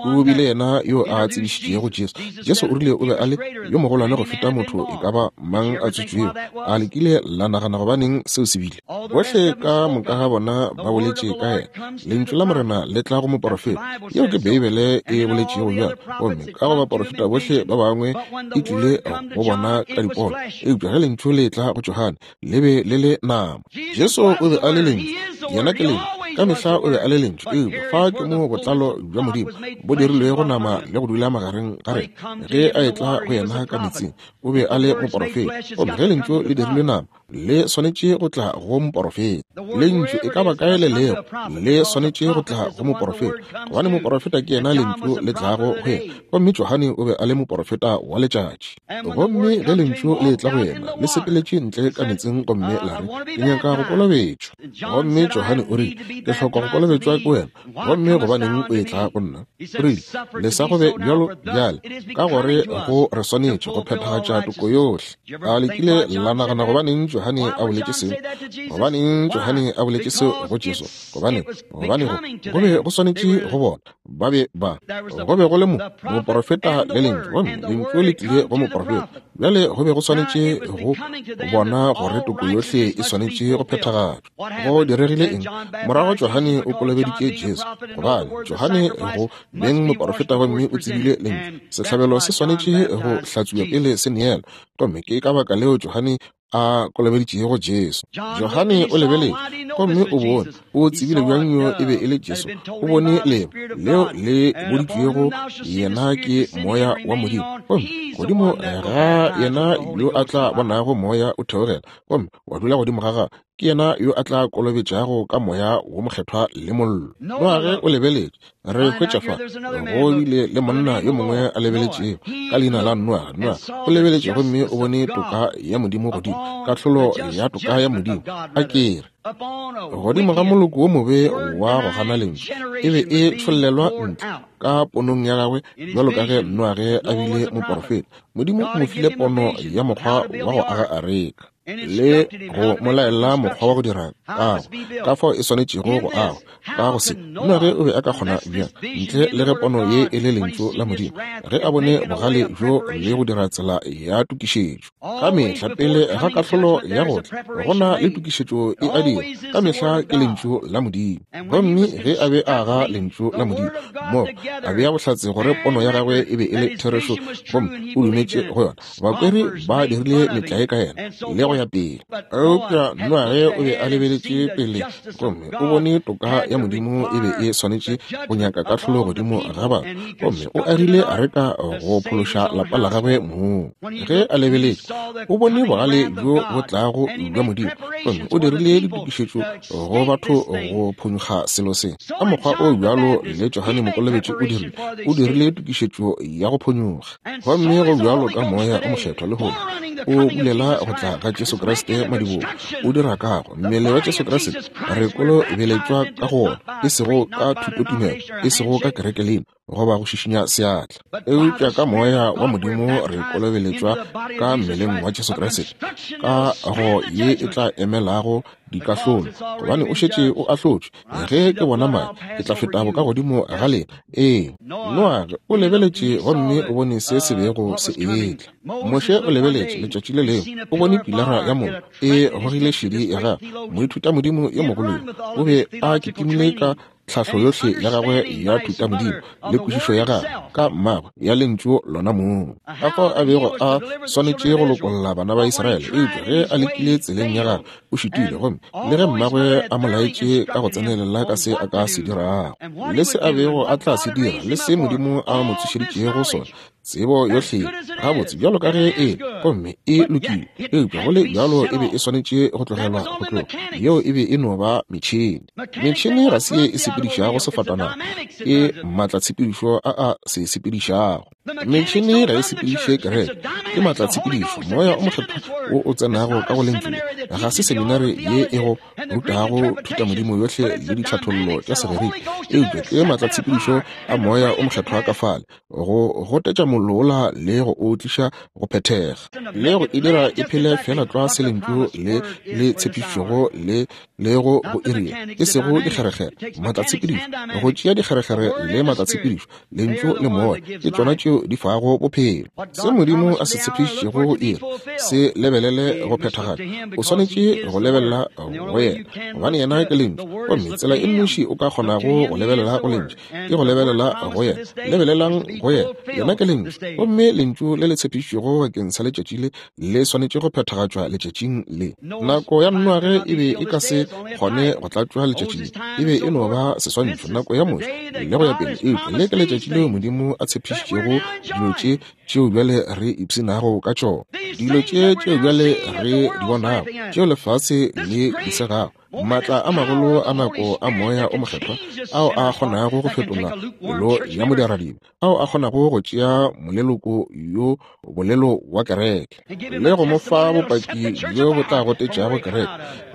o bile yena yo a tsebišitšego Jesu. Jesu o rile o be a le yo mogolwane go feta motho e ka ba mang a tswetšwego. A le kile la nagana gobaneng seo se bile? Bohle ka moka ga bona ba boletše ka yena. Lentšu la Morena le tla go moporofeta. Yeo ke Beibele e boletšego bjalo. Gomme ka go baporofeta bohle ba bangwe e tlile go bona ka dipono. Eupša ge Lentšu le etla go Johane, le be le le nama. Jesu o be a le Lentšu. Yena ke Lentšu. Ka mehla o be a le Lentšu. Eupša fa ke mo botlalo bja Modimo bo dirilwego nama le go dula magareng ga rena. Ge a etla go yena ka metsing, o be a le moporofeta. Gomme ge Lentšu le dirilwe nama, le swanetše go tla go moporofeta. Lentšu e ka ba kae le lego, le swanetše go tla go moporofeta, gobane moporofeta ke yena Lentšu le tlago go yena. Gomme Johane o be a le moporofeta wa letšatši. Gomme ge Lentšu le etla go yena, le sepeletše ntle ka metseng gomme la re, Ke nyaka go kolobetšwa. Gomme Johane o rile, Ke hloka go kolobetšwa ke wena, gomme gobaneng o etla go nna? O rile, Lesa go be bjalo bjale, ka gore go re swanetše go phethagatša toko yohle. A le kile la nagana gobaneng Johane a boletše seo? Gobaneng Johane a boletše seo go Jesu? Gobane, gobane go, go be go swanetše go bona. Ba be ba, go be go le mo, moporofeta le Lentšu, gomme Lentšu le tlile go moporofeta. Bjale go be go swanetše go bona gore toko yohle e swanetše go phethagatšwa. Go diregile eng? Morago Johane o kolobeditše Jesu, gobane Johane go beng moporofeta gomme o tsebile Lentšu. Sehlabelo se swanetše go hlatswiwa pele se neelwa, gomme ke ka baka leo Johane a kolobeditšego Jesu. Johane o lebeletše gomme o bone, o tsebile bjang yo e be e le Jesu. O bone leo, leo le boditšwego yena ke Moya wa Modimo, gomme godimo ga yena yo a tla bonago Moya o theogela gomme wa dula godimo ga gagwe, ke yena yo a tla kolobetšago ka Moya wo Mokgethwa le mollo. Noage o lebeletše. Re hwetša fa go bile le monna yo mongwe a lebeletšego ka leina la Noage. Noage o lebeletše gomme o bone toka ya Modimo godimo, kahlolo ya toka ya Modimo, a ke re, godimo ga moloko wo mobe wa go gana Lentšu, e be e tšhollelwa ntle ka ponong ya gagwe bjalo ka ge Noage a bile moporofeta. Modimo o mo file pono ya mokgwa wa go aga areka. le go mo laela mokgwa wa go dira kago, ka fao e swanetšego go agwa. Ka go se, Noage o be a ka kgona bjang, ntle le ge pono ye e le Lentšu la Modimo, ge a bone bogale bjo le go dira tsela ya tokišetšo? Ka mehla pele ga kahlolo ya go tla, go na le tokišetšo e a dira. Ka mehla ke Lentšu la Modimo. Gomme ge a be a aga Lentšu la Modimo, mo a bea bohlatse gore pono ya gagwe e be e le therešo, gomme o dumetše go yona. Bakweri ba dirile metlae ka yena le go ya pele. Eupša Noage o be a lebeletše pele gomme o bone toka ya Modimo e be e swanetše go nyaka kahlolo godimo ga batho, gomme o agile areka go phološa lapa la gagwe mong. Ge a lebeletše, o bone bogale bjo bo tlago bja Modimo, gomme o dirile ditokišetšo go batho go phonyokga selo se. Ka mokgwa o bjalo le Johane Mokolobetši o dirile, o dirile tokišetšo ya go phonyokga. Gomme go bjalo ka Moya o Mokgethwa lehono, o bulela go tla ga Jesu Kriste madibogo, o dira kago mmele wa Jesu Kriste. Re kolobeletšwa ka go wona, e sego ka thutotumelo, e sego ka kerekelina goba go šišinya seatla, eupša ka Moya wa Modimo re kolobeletšwa ka mmeleng wa Jesu Kriste, ka go ye e tla emelago dikahlolo, gobane o šetše o ahlotšwe. Ge ke bona madi, ke tla feta bokagodimo ga lena. Ee, Noage o lebeletše gomme o bone se se bego se etla. Moshe o lebeletše letšatši le lengwe, o bone pilara ya mollo e gogile šedi ya gagwe. Moithutamodimo yo mogolo yo o be a kitimile ka tlhahlo yohle ya gagwe ya thutamodimo le kwešišo ya gagwe ka mmagwe ya lentšu lona mong, ka fao a bego a swanetše go lokolla bana ba Israele. Eupša ge a lekile tseleng ya gagwe, o šitile, gomme le ge mmagwe a mo laetše ka go tsenelela ka se a ka se dirago le se a bego a tla se dira le se Modimo a mo tsošeditšego sona, tsebo yohle gabotse bjalo ka ge e gomme e lokile, eupša go le bjalo e be e swanetše go tlogelwa go tloga. Yeo e be e no ba metšhene. Metšhene ga se ye e sepedišago sefatanaga, ke maatlatshepedišo a a se sepedišago. Metšhene ga e sepediše kereke, ke maatlatshepedišo, Moya o Mokgethwa wo o tsenago ka go Lentšu le. Ga se seminari ye e go rutago thutamodimo yohle le ditlhathollo tša Segerika, eupša ke maatlatshepedišo a Moya o Mokgethwa ka fale, go gotetša mollo wola le go o tliša go phethega, le go e dira e phele feela tlwa se Lentšu le le tshepišitšego le lego go iri ye, e sego dikgerekgere, maatlatshepedišo, go tšea dikgerekgere le maatlatshepedišo, Lentšu le Moya ke tšona tšeo di fago bophelo. Se Modimo a se tshepišitšego go iri, se lebelele go phethagala. O swanetše go lebelela go Yena, gobane Yena ke Lentšu. Gomme tsela e nnoši o ka kgonago go lebelela go Lentšu ke go lebelela go Yena. Lebelelang go Yena, Yena ke Lentšu. Gomme Lentšu le le tshepišitšwego bakeng sa letšatši le le swanetše go phethagatšwa letšatšing le. Nako ya Noage e be e ka se kgone go tlatšwa letšatši le, e be e no ba seswantšho, nako ya Moshe le go ya pele. Eupša le ke letšatši leo Modimo a tshepišitšego dilo tše tšeo bjale re ipshinago ka tšona, dilo tše tšeo bjale re di bonago, tšeo lefase le di segago, maatla a magolo a nako a Moya o Mokgethwa ao a kgonago go fetola pelo ya modiradibe, ao a kgonago go tšea moleloko yo bolelo wa kereke le go mo fa bopaki bjo bo tla gotetšago kereke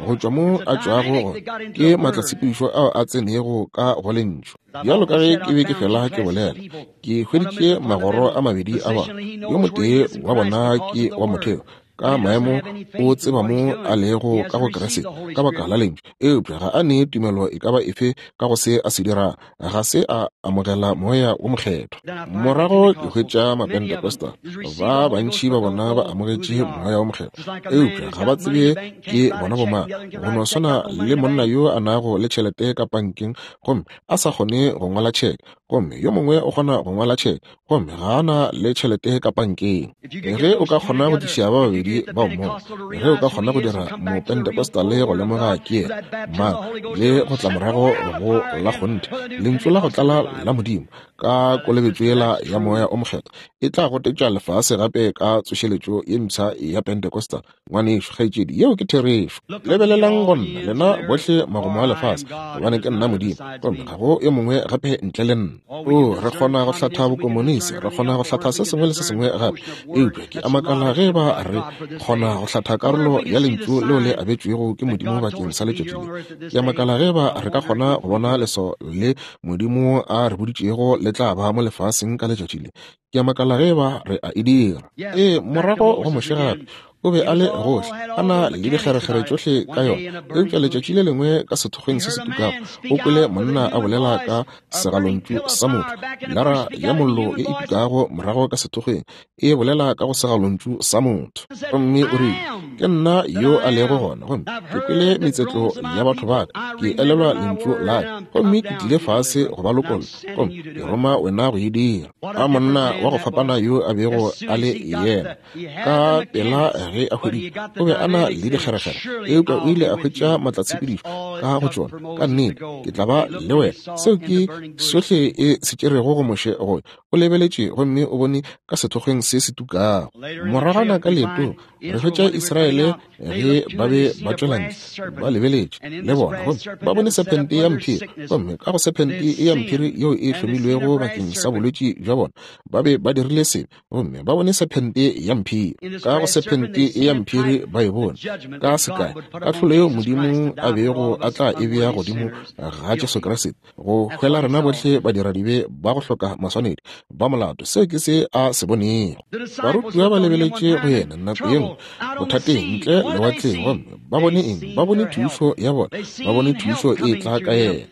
go tšwa mo a tšwago gona. Ke maatlatshepedišo ao a tsenego ka go Lentšu. Bjalo ka ge ke be ke fela ke bolela, ke hweditše magoro a mabedi a bona. Yo motee wa bona ke wa motheo, ka maemo o tseba mo a lego ka go Kriste ka baka la Lentšu, eupša ga a ne tumelo e ka ba efe ka go se a se dirago. Ga se a amogela Moya wo Mokgethwa. Morago ke hwetša Mapentecostal, ba bantši ba bona ba amogetše Moya wo Mokgethwa, eupša ga ba tsebe ke bona bomang. Go no swana le monna yo a nago le tšhelete ka pankeng gomme a sa kgone go ngwala tšheke, gomme yo mongwe o kgona go ngwala tšheke gomme ga a na le tšhelete ka pankeng. Ge o ka kgona go tliša ba babedi ba mmogo, ge o ka kgona go dira Mopentecostal go lemoga ke yena mang le go tla morago go la kgonthe Lentšu la go tlala la Modimo ka kolobetšo yela ya Moya o Mokgethwa, e tla gotetša lefase gape ka tsošeletšo ye mpsha ya Pentecostal. Ngwanešu, kgaetšedi, yeo ke therešo. Lebelelang go nna, lena bohle magomo a lefase, gobane ke nna Modimo, gomme ga go yo mongwe gape ntle le nna. Oo, re kgona go hlatha bokomonisi, re kgona go hlatha se sengwe le se sengwe gape, eupša ke a makala ge eba re kgona go hlatha karolo ya Lentšu leo le abetšwego ke Modimo bakeng sa letšatši le. Ke a makala ge eba re ka kgona go bona leswao le Modimo a re boditšego le tla ba mo lefaseng ka letšatši le. Ke a makala ge eba re a e dira. Ee, morago go Moshe gape, o be a le gohle, a na le dikgerekgere tšohle ka yona. Eupša letšatši le lengwe ka sethokgweng se se tukago, o kwele monna a bolela ka segalontšu sa motho, lara ya mollo ye e tukago morago ka sethokgweng, e bolela ka go segalontšu sa motho. Gomme o rile, Ke nna yo a lego gona, gomme ke kwele metsetlo ya batho ba ka, ke elelwa lentšu la ka, gomme ke tlile fase go ba lokolla, gomme ke roma wena go e dira. A monna wa go fapana yo a bego a le yena! Ka pela ge a hweditše, o be a na le dikgerekgere, eupša o ile a hwetša maatlatshepedišo ka go tšona. Ka nnete, ke tla ba le wena. Seo ke sohle e se tšerego go Moshe go O lebeletše gomme o bone ka sethokgweng se se tukago. Moragwana ka leetong, re hwetša Israele ge ba be ba tšwela ntle, ba lebeletše le bona, gomme ba bone sephente ya mphiri, gomme ka go sephente ya mphiri yeo e hlomilwego bakeng sa bolwetši bja bona, ba be ba dirile sebe, gomme ba bone sephente ya mphiri. Ka go sephente ya mphiri ba e bone, ka sekai, kahlolo yeo Modimo a bego a tla e bea godimo ga Jesu Kriste, go hwela rena bohle badiradibe ba go hloka maswanedi ba molato. Seo ke se a se bonego. Barutiwa ba lebeletše go yena nako ye nngwe bothateng ntle lewatleng, gomme ba bone eng? Ba bone thušo ya bona, ba bone thušo e tla ka yena.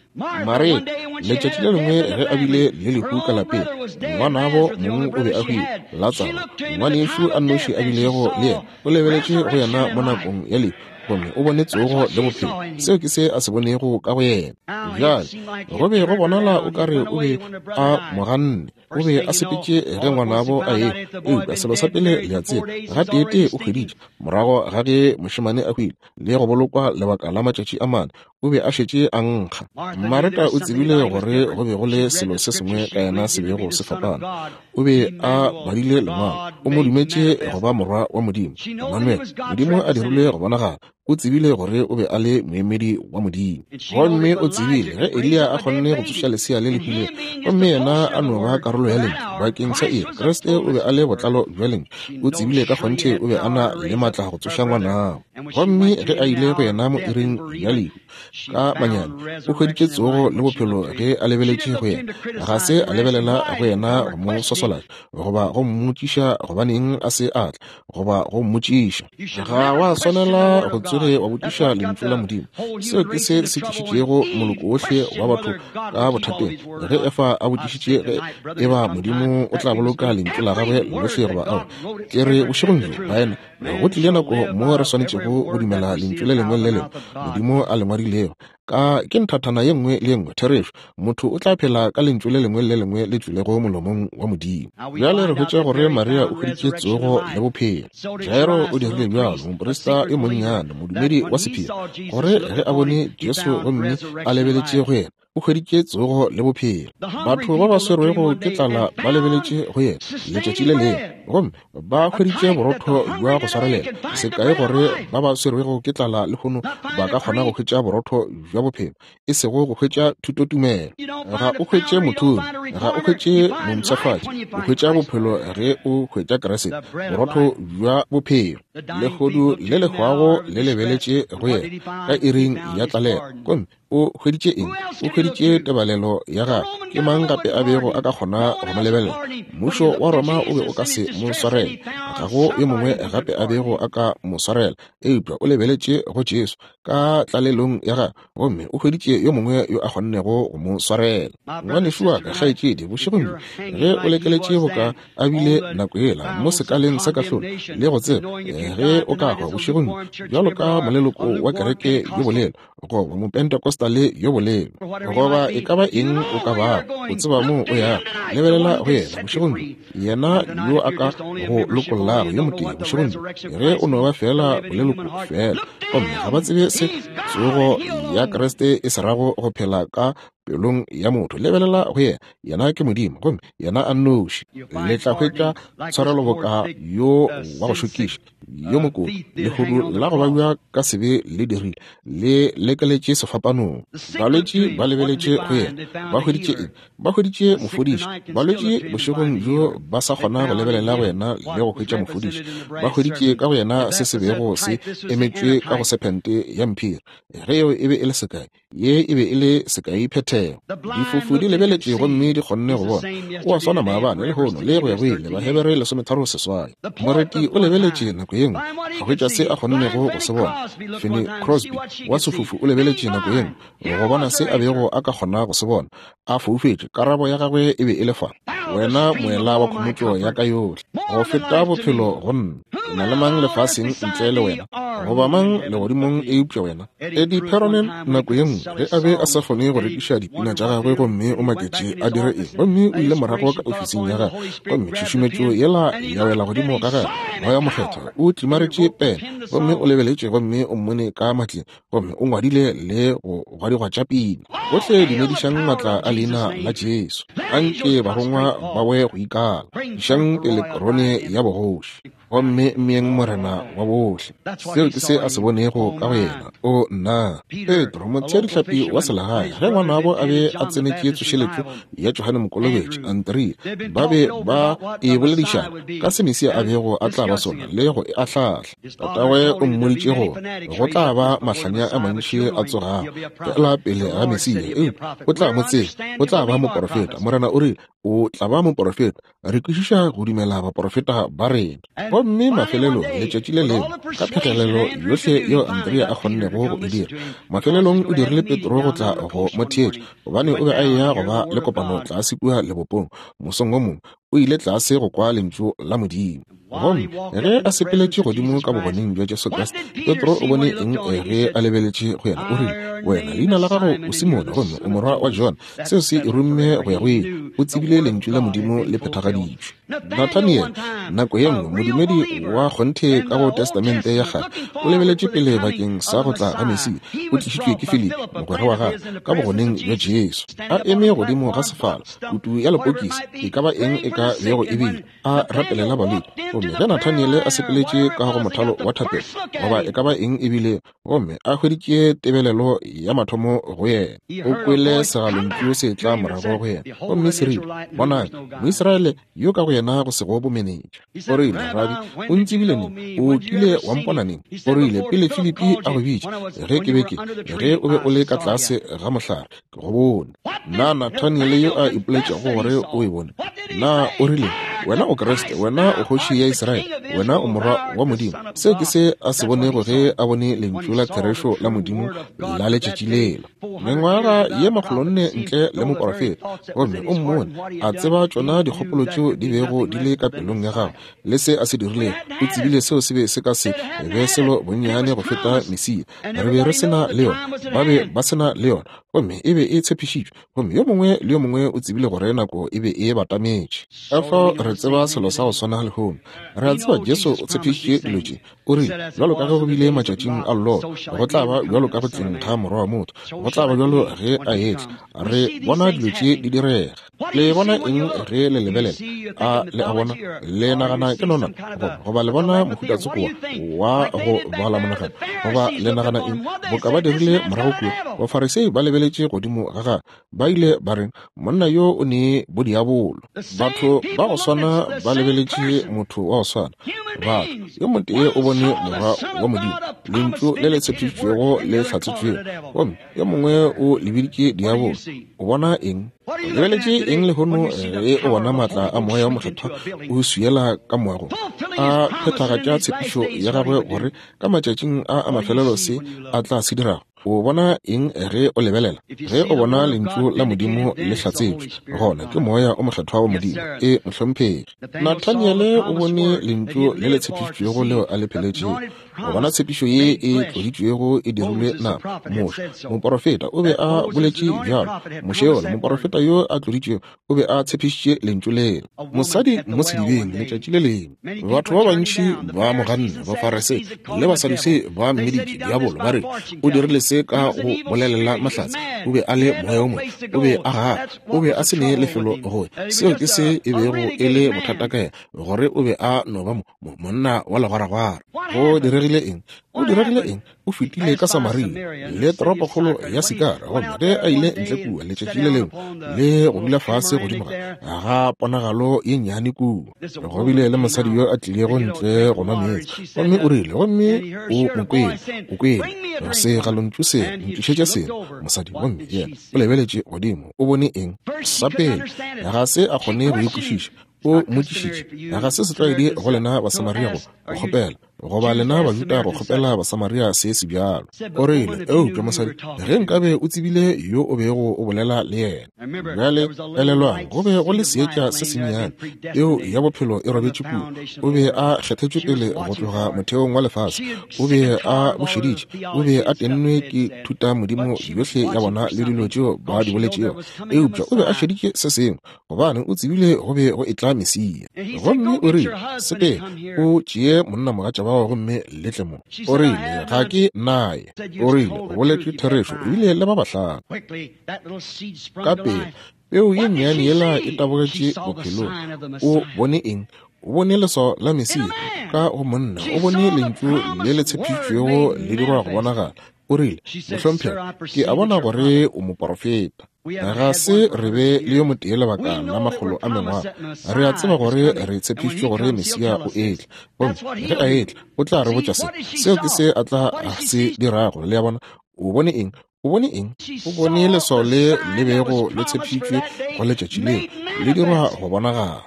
Maria, letšatši le lengwe ge a bile le lehu ka lapeng, ngwanabo mong o be a hwile, Latsaro, ngwanešu a nnoši a bilego le yena, o lebeletše go yena mo nakong ya lehu, gomme o bone tsogo le bophelo. Seo ke se a se bonego ka go yena. Bjale, go be go bonala o ka re o be a mo ganne. O be a sepetše ge ngwanabo a ehwa. Eupša selo sa pele le a tseba, gateetee o hweditše, morago ga ge mošemane a hwile le go bolokwa lebaka la matšatši a mane, o be a šetše a nkga. Mareta o tsebile gore go be go le selo se sengwe ka yena se bego se fapana. O be a badile Lengwalo. O mo dumetše go ba Morwa wa Modimo, Emmanuel, Modimo a dirilwe go bonagala. O tsebile gore o be a le moemedi wa Modimo. Gomme o tsebile ge Eliya a kgonne go tsoša lesea le le hwilego, gomme yena a no ba karolo ya Lentšu bakeng sa iri, Kriste o be a le botlalo bja Lentšu. O tsebile ka kgonthe o be a na le maatla go tsoša ngwanabo. Gomme ge a ile go yena mo iring ya lehu, ka manyami, o hweditše tsogo le bophelo ge a lebeletše go yena. Ga se a lebelela go yena go mo swaswalatša, goba go mmotšiša gobaneng a se a tla, goba go mmotšiša. Ga wa swanela go tsoge wa botšiša Lentšu la Modimo. Seo ke se se tlišitšego moloko wohle wa batho ka bothateng. Ge Efa a botšišitše ge eba Modimo o tla boloka Lentšu la gagwe lohle goba aowa, ke re bošegong bjo, baena, Go tlile nako mo re swanetšego go dumela lentšu le lengwe le le lengwe Modimo a le ngwadilego. Ka ke nthathana ye nngwe le ye nngwe, therešo. Motho o tla phela ka lentšu le lengwe le le lengwe le tšwilego molomong wa Modimo. Bjale re hwetša gore Maria o hweditše tsogo le bophelo. Jairo o dirile bjalo, moprista yo monnyane, modumedi wa sephiri, gore ge a bone Jesu gomme a lebeletše go yena, o hweditše tsogo le bophelo. Batho ba ba swerwego ke tlala ba lebeletše go yena letšatši le lengwe gomme ba hweditše borotho bja go swarelela. Sekai gore ba ba swerwego ke tlala lehono ba ka kgona go hwetša borotho bja bophelo, e sego go hwetša thutotumelo. Ga o hwetše mothumi, ga o hwetše mompshafatši, o hwetša bophelo ge o hwetša Kriste, borotho bja bophelo. Lehodu le le hwago le lebeletše go yena ka iring ya tlalelo gomme O hweditše eng? O hweditše tebalelo ya gagwe. Ke mang gape a bego a ka kgona go mo lebelela? Mmušo wa Roma o be o ka se mo swarele. Ga go yo mongwe gape a bego a ka mo swarela. Eupša o lebeletše go Jesu ka tlalelong ya gagwe, gomme o hweditše yo mongwe yo a kgonnego go mo swarela. Ngwanešu wa ka, kgaetšedi, bošegong bjo, ge o lekeletše boka a bile nako yela mo sekaleng sa kahlolo, le go tseba ge o ka hwa bošegong bjo, bjalo ka moleloko wa kereke yo bolelo, goba Mopentecostal yo bolelo, goba e ka ba eng o ka bago, o tseba moo o yago. Lebelela go yena bošegong bjo, yena yo a ka go lokollago yo motee bošegong bjo, ge o no ba feela boleloko feela. Gomme ga ba tsebe se tsogo ya Kriste e se rago go phela ka pelong ya motho. Lebelela go yena, yena ke Modimo, gomme yena a nnoši. Le tla hwetša tshwarelo boka yo wa go šokiša. yo mokoto lehodu la go babja ka sebe le dirile le lekeletše sefapanong. Balwetši ba lebeletše go yena, ba hweditše eng? Ba hweditše mofodiši. Balwetši bošegong bjo ba sa kgona go lebelela go yena le go hwetša mofodiši. Ba hweditše ka go yena se se bego se emetšwe ka go sephente ya mphiri. Ge yeo e be e le sekai, Ye e be e le sekai phethego. Difofu di lebeletše gomme di kgonne go bona. O a swana maabane, lehono, le go ya go ile. Bahebere 36. Moreti o lebeletše nako ye nngwe, a hwetša se a kgonnego go se bona. Finney Crosby wa sefofu o lebeletše nako ye nngwe, go bona se a bego a ka kgona go se bona. A foufetše, karabo ya gagwe e be e le fa, Wena moela wa khomotšo ya ka yohle, go feta bophelo go nna. Ke na le mang lefaseng ntle le wena, goba mang legodimong eupša wena? Eddie Perronet, nako ye nngwe, ge a be a sa kgone go rekiša dipina tša gagwe, gomme o maketše a dire eng, gomme o ile morago ka ofising ya gagwe, gomme tšhušumetšo yela ya wela godimo ga gagwe, Moya Mokgethwa o tlimaretše pene, gomme o lebeletše gomme o mmone ka matleng, gomme o ngwadile le go gwadigwa tša pina. Bohle dumedišang matla a leina la Jesu. Anke barongwa ba we go ikala. Išang pele korone ya bogoši, gomme mmeeng Morena wa bohle. Seo ke se a se bonego ka go yena. O nna! Petro, motheadihlapi wa selegae, ge ngwanabo a be a tsenetše tsošeletšo ya Johane Mokolobetši, Andrea, ba be ba e boledišana ka se Mesia a bego a tla ba sona le go e ahlahla. Tatagwe o mmoditše gore go tla ba mahlanya a mantši a tsogago fela pele ga Mesia, eupša o tla mo tseba, o tla ba moporofeta. Morena o rile, O tla ba moporofeta. Re kwešiša go dumela baporofeta ba rena. Gomme mafelelong, letšatši le lengwe, ka phegelelo yohle yeo Andrea a kgonnego go e dira, mafelelong o dirile Petro go tla go mo theetša, gobane o be a eya go ba le kopano tlase kua lebopong mosong wo mongwe. O ile tlase go kwa Lentšu la Modimo. Gomme ge a sepeletše godimo ka bogoneng bja Jesu Kriste, Petro o bone eng ge a lebeletše go yena? O rile, Wena, leina la gago o Simone, gomme o morwa wa Jona. Seo se e rumme go ya go ile. O tsebile Lentšu la Modimo le phethagaditšwe. Nathaniel, nako ye nngwe, modumedi wa kgonthe ka go Testamente ya Kgale, o lebeletše pele bakeng sa go tla ga Mesia. O tlišitšwe ke Filipi, mogwera wa gagwe, ka bogoneng bja Jesu. A eme godimo ga sefala, kutu ya lepokisi, e ka ba eng e ka bego e bile, a rapelela balwetši. Gomme ge Nathaniele a sepeletše ka go mothalo wa thapelo, goba e ka ba eng e bile, gomme a hweditše tebelelo ya mathomo go yena, o kwele segalontšu se tla morago go yena, gomme se rile, Bonang, Moisraele yo ka go yena go sego bomenetša. O rile, Rabi, o ntsebile neng? O kile wa mpona neng? O rile, Pele Filipi a go bitša, ge ke be ke, ge o be o le ka tlase ga mohlare, Ke go bone. Na Nathaniele yo a ipoletšego gore o e bone, na o rile, Wena o Kriste, wena o Kgoši ya Israele, wena o Morwa wa Modimo? Seo ke se a se bonego ge a bone Lentšu la therešo la Modimo la letšatši lela. Mengwaga ye makgolonne ntle le moporofeta, gomme o mmone a tseba tšona dikgopolo tšeo di bego di le ka pelong ya gagwe le se a se dirilego. O tsebile seo se be se ka se be selo bonnyane go feta Mesia. Re be re se na le yona, ba be ba se na le yona, gomme e be e tshepišitšwe, gomme yo mongwe le yo mongwe o tsebile gore nako e be e batametše. Ka fao re tseba selo sa go swana lehono. Re a tseba Jesu o tshepišitše dilo tše. O rile, Bjalo ka ge go bile matšatšing a Lota, go tla ba bjalo ka go tleng ga Morwa wa motho, go tla ba bjalo ge a etla. Re bona dilo tše di direga. Le bona eng ge le lebelela? A le a bona? Le nagana ke nona? Goba le bona mohuta tsoko wa go bala monagano? Goba le nagana eng? Boka ba dirile morago kua, Bafarisei ba lebeletše godimo ga gagwe, ba ile ba re, Monna yo o ne bodiabolo. Batho ba go swana ba lebeletše motho wa go swana. Batho, yo motee o bone Morwa wa Modimo, Lentšu le le tshepišitšwego le hlatsetšwego, gomme yo mongwe o le biditše diabolo. O bona eng? O lebeletše eng lehono ge o bona maatla a Moya wo Mokgethwa o swiela ka moagong, a phethagatša tshepišo ya gagwe gore ka matšatšing a a mafelelo se a tla se dirago? O bona eng ge o lebelela? Ge o bona Lentšu la Modimo le hlatsetšwe, gona ke Moya o Mokgethwa wa Modimo. E, mohlomphegi. Nathaniele o bone Lentšu le le tshepišitšwego leo a le pheletšego. Go bona tshepišo ye e tloditšwego e dirilwe nama. Moshe, moporofeta, o be a boletše bjalo. Moshe yola, moporofeta yo a tloditšwego, o be a tshepišitše Lentšu lela. Mosadi mo sedibeng, letšatši le lengwe. Batho ba bantši ba mo ganne, Bafarisei le Basadusei ba mmiditše diabolo, ba re, O dirile se ka go bolelela mahlatse. O be a le moya wo mobe. O be a gana. O be a se ne lefelo go ya. Seo ke se e bego e le bothata ka yena, gore o be a no ba mo, mo, monna wa legwaragwara. Go diregile eng? Go diregile eng? O fetile ka Samaria le toropokgolo ya Sikara, gomme ge a ile ntle kua letšatši le lengwe le go dula fase godimo ga ga ponagalo ye nnyane kua, go bile le mosadi yo a tlilego ntle go nwa meetse, gomme o rile, gomme o mo kwele, o kwele segalontšu se ntlišetša seno, mosadi, gomme yena o lebeletše godimo, o bone eng? Sa pele, ga se a kgone go e kwešiša. O mmotšišitše, Ga se setlwaedi go lena Basamaria go kgopela. Goba lena Bajuda go kgopela Basamaria se se bjalo. O rile, Eupša mosadi, ge nkabe o tsebile yo o bego o bolela le yena. Bjale, elelwang, go be go le seetša se sennyane, peo ya bophelo e robetše kua. O be a kgethetšwe pele go tloga motheong wa lefase. O be a bo šeditše. O be a tennwe ke thutamodimo yohle ya bona le dilo tšeo ba di boletšego. Eupša o be a šeditše se sengwe, gobane o tsebile go be go etla Mesia. Gomme o rile, Sepela, o tšee monnamogatša wa gago gomme le tle mo. O rile, Ga ke naye. O rile, O boletše therešo, ebile le ba bahlano. Ka pela, peu ye nnyane yela e tabogetše bophelong. O bone eng? O bone leswao la Mesia ka go monna. O bone lentšu le le tshepišitšwego le dirwa go bonagala. O rile, Mohlomphegi, ke a bona gore o moporofeta. Ga se re be le yo motee lebaka la makgolo a mengwaga. Re a tseba gore re tshepišitšwe gore Mesia o etla. Gomme ge a etla, o tla re botša se. Seo ke se a tla se dirago. Le a bona? O bone eng? O bone eng? O bone leswao le le bego le tshepišitšwe go letšatši leo, le dirwa go bonagala.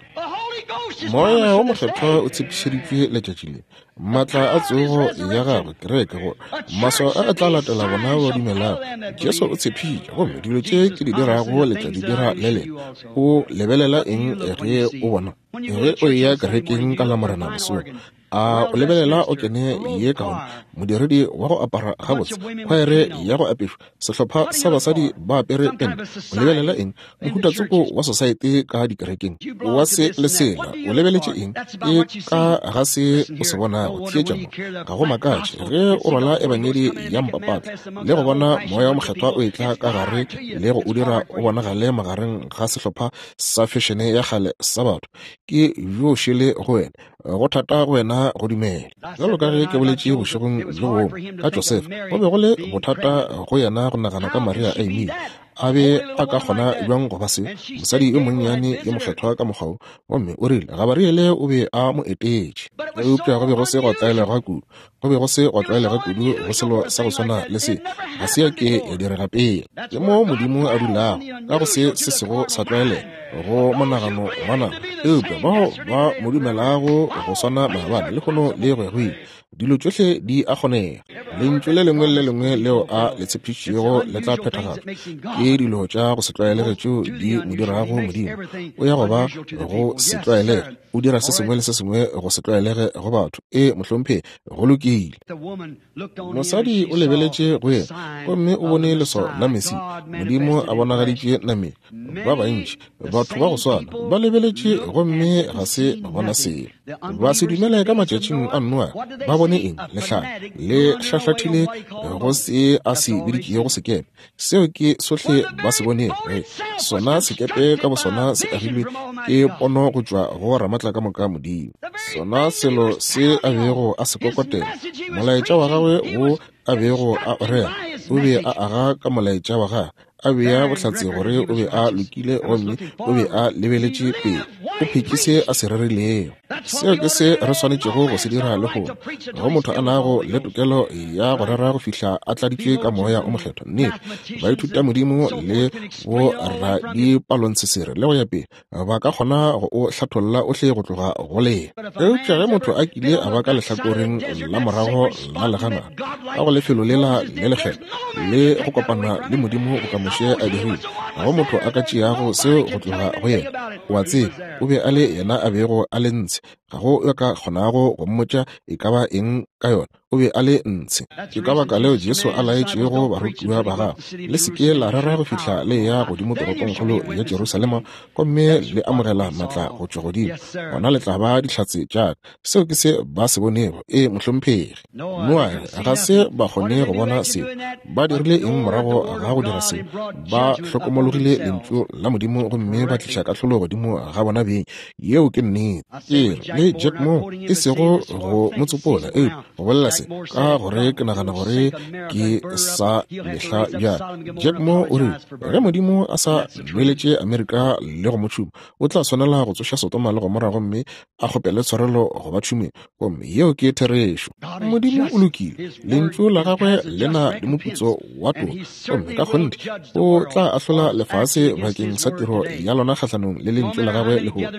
Moya wo Mokgethwa o tshepišeditšwe letšatši le. Maatla a tsogo ya gagwe, kereke, gore maswao a a tla latela bona ba dumelago. Jesu o tshepišitše, gomme dilo tše ke di dirago le tla di dira le lena. O lebelela eng ge o bona? Ge o eya kerekeng ka Lamorena mosong, a o lebelela o kene ye kaone, modiredi wa go apara gabotse, khwaere ya go apešwa, sehlopha sa basadi ba apere pente? O lebelela eng? Mohuta tsoko wa sosaete ka dikerekeng wa se le sela. O lebeletše eng? Ke ka ga se o se bonago. Theetša mo, ga go makatše ge o rwala ebangedi ya mpapatla le go bona Moya wo Mokgethwa o etla ka gare le go o dira o bonagale magareng ga sehlopha sa fešene ya kgale sa batho. Ke bjo šele go wena. Go thata go wena go dumela. Bjalo ka ge ke boletše bošegong bjo bongwe ka Josefa, go be go le bothata go yena go nagana ka Maria a imile. A be a ka kgona bjang go ba se, mosadi yo monnyane yo mokgethwa ka mokgwa wo? Gomme o rile Gabariele o be a mo etetše. Eupša go be go se gwa tlwaelega kudu. Go be go se gwa tlwaelega kudu go selo sa go swana le se. Ga se ya ke ya direga pele. Ke mo Modimo a dulago, ka go se se sego sa tlwaelega, go monagano wa nama. Eupša bao ba mo dumelago go swana maabane, lehono le go ya go ile, dilo tšohle di a kgonega. Lentšu le lengwe le le lengwe leo a le tshepišitšego le tla phethagatšwa. Ke dilo tša go se tlwaelege tšeo di mo dirago Modimo. O ya go ba go se tlwaelege. O dira se sengwe le se sengwe go se tlwaelege go batho. Ee, mohlomphegi, go lokile. Mosadi o lebeletše go yena gomme o bone leswao la Mesia, Modimo a bonagaditše nameng. Ba bantši, batho ba go swana, ba lebeletše gomme ga se ba bona selo. Ba se dumele ka matšatšing a Noa. Ba bone eng? Lehlare le hlahlathile go se a se biditšego sekepe. Seo ke sohle ba se bonego. Ge sona sekepe ka bosona se agilwe ke pono go tšwa go Ramatlakamoka Modimo. Sona selo se a bego a se kokotela, molaetša wa gagwe wo a bego a o rera, o be a aga ka molaetša wa gagwe, a bea bohlatse gore o be a lokile gomme o be a lebeletše pele. O phetše se a se rerilego. Seo ke se re swanetšego go se dira lehono. Go motho a nago le tokelo ya go rera go fihla a tladitšwe ka Moya o Mokgethwa. Nnete, baithutamodimo le boradipalontshesere le go ya pele ba ka kgona go o hlatholla ohle go tloga go lena. Eupša ge motho a kile a ba ka lehlakoreng la morago la leganata, ka go lefelo lela le lekgethwa, le go kopana le Modimo boka Moshe a dirile, ga go motho a ka tšeago seo go tloga go yena. O a tseba, o be a le yena a bego a le ntshe. Ga go yo ka kgonago go mmotša e ka ba eng ka yona. O be a le ntshe. Ke ka baka leo Jesu a laetšego barutiwa ba gagwe, Le se ke la rera go fihla le eya godimo toropongkgolo ya Jerusalema gomme le amogela maatla go tšwa godimo. Gona le tla ba dihlatse tša ka. Seo ke se ba se bonego. Ee, mohlomphegi. Noage, ga se ba kgone go bona seo. Ba dirile eng morago ga go dira seo? Ba hlokomologile Lentšu la Modimo gomme ba tliša kahlolo godimo ga bona beng. Yeo ke nnete. Ke re le Jack Moore, e sego go mo tsopola, eupša go bolela se ka gore ke nagana gore ke sa mehla bjale. Jack Moore o rile, ge Modimo a sa nweletše Amerika le go mo tšhuma, o tla swanela go tsoša Sodoma le Gomora gomme a kgopele tshwarelo go ba tšhumeng. Gomme yeo ke therešo. Modimo o lokile, Lentšu la gagwe le na le moputso wa toka, gomme ka kgonthe o tla ahlola lefase bakeng sa tiro ya lona kgahlanong le Lentšu la gagwe lehono.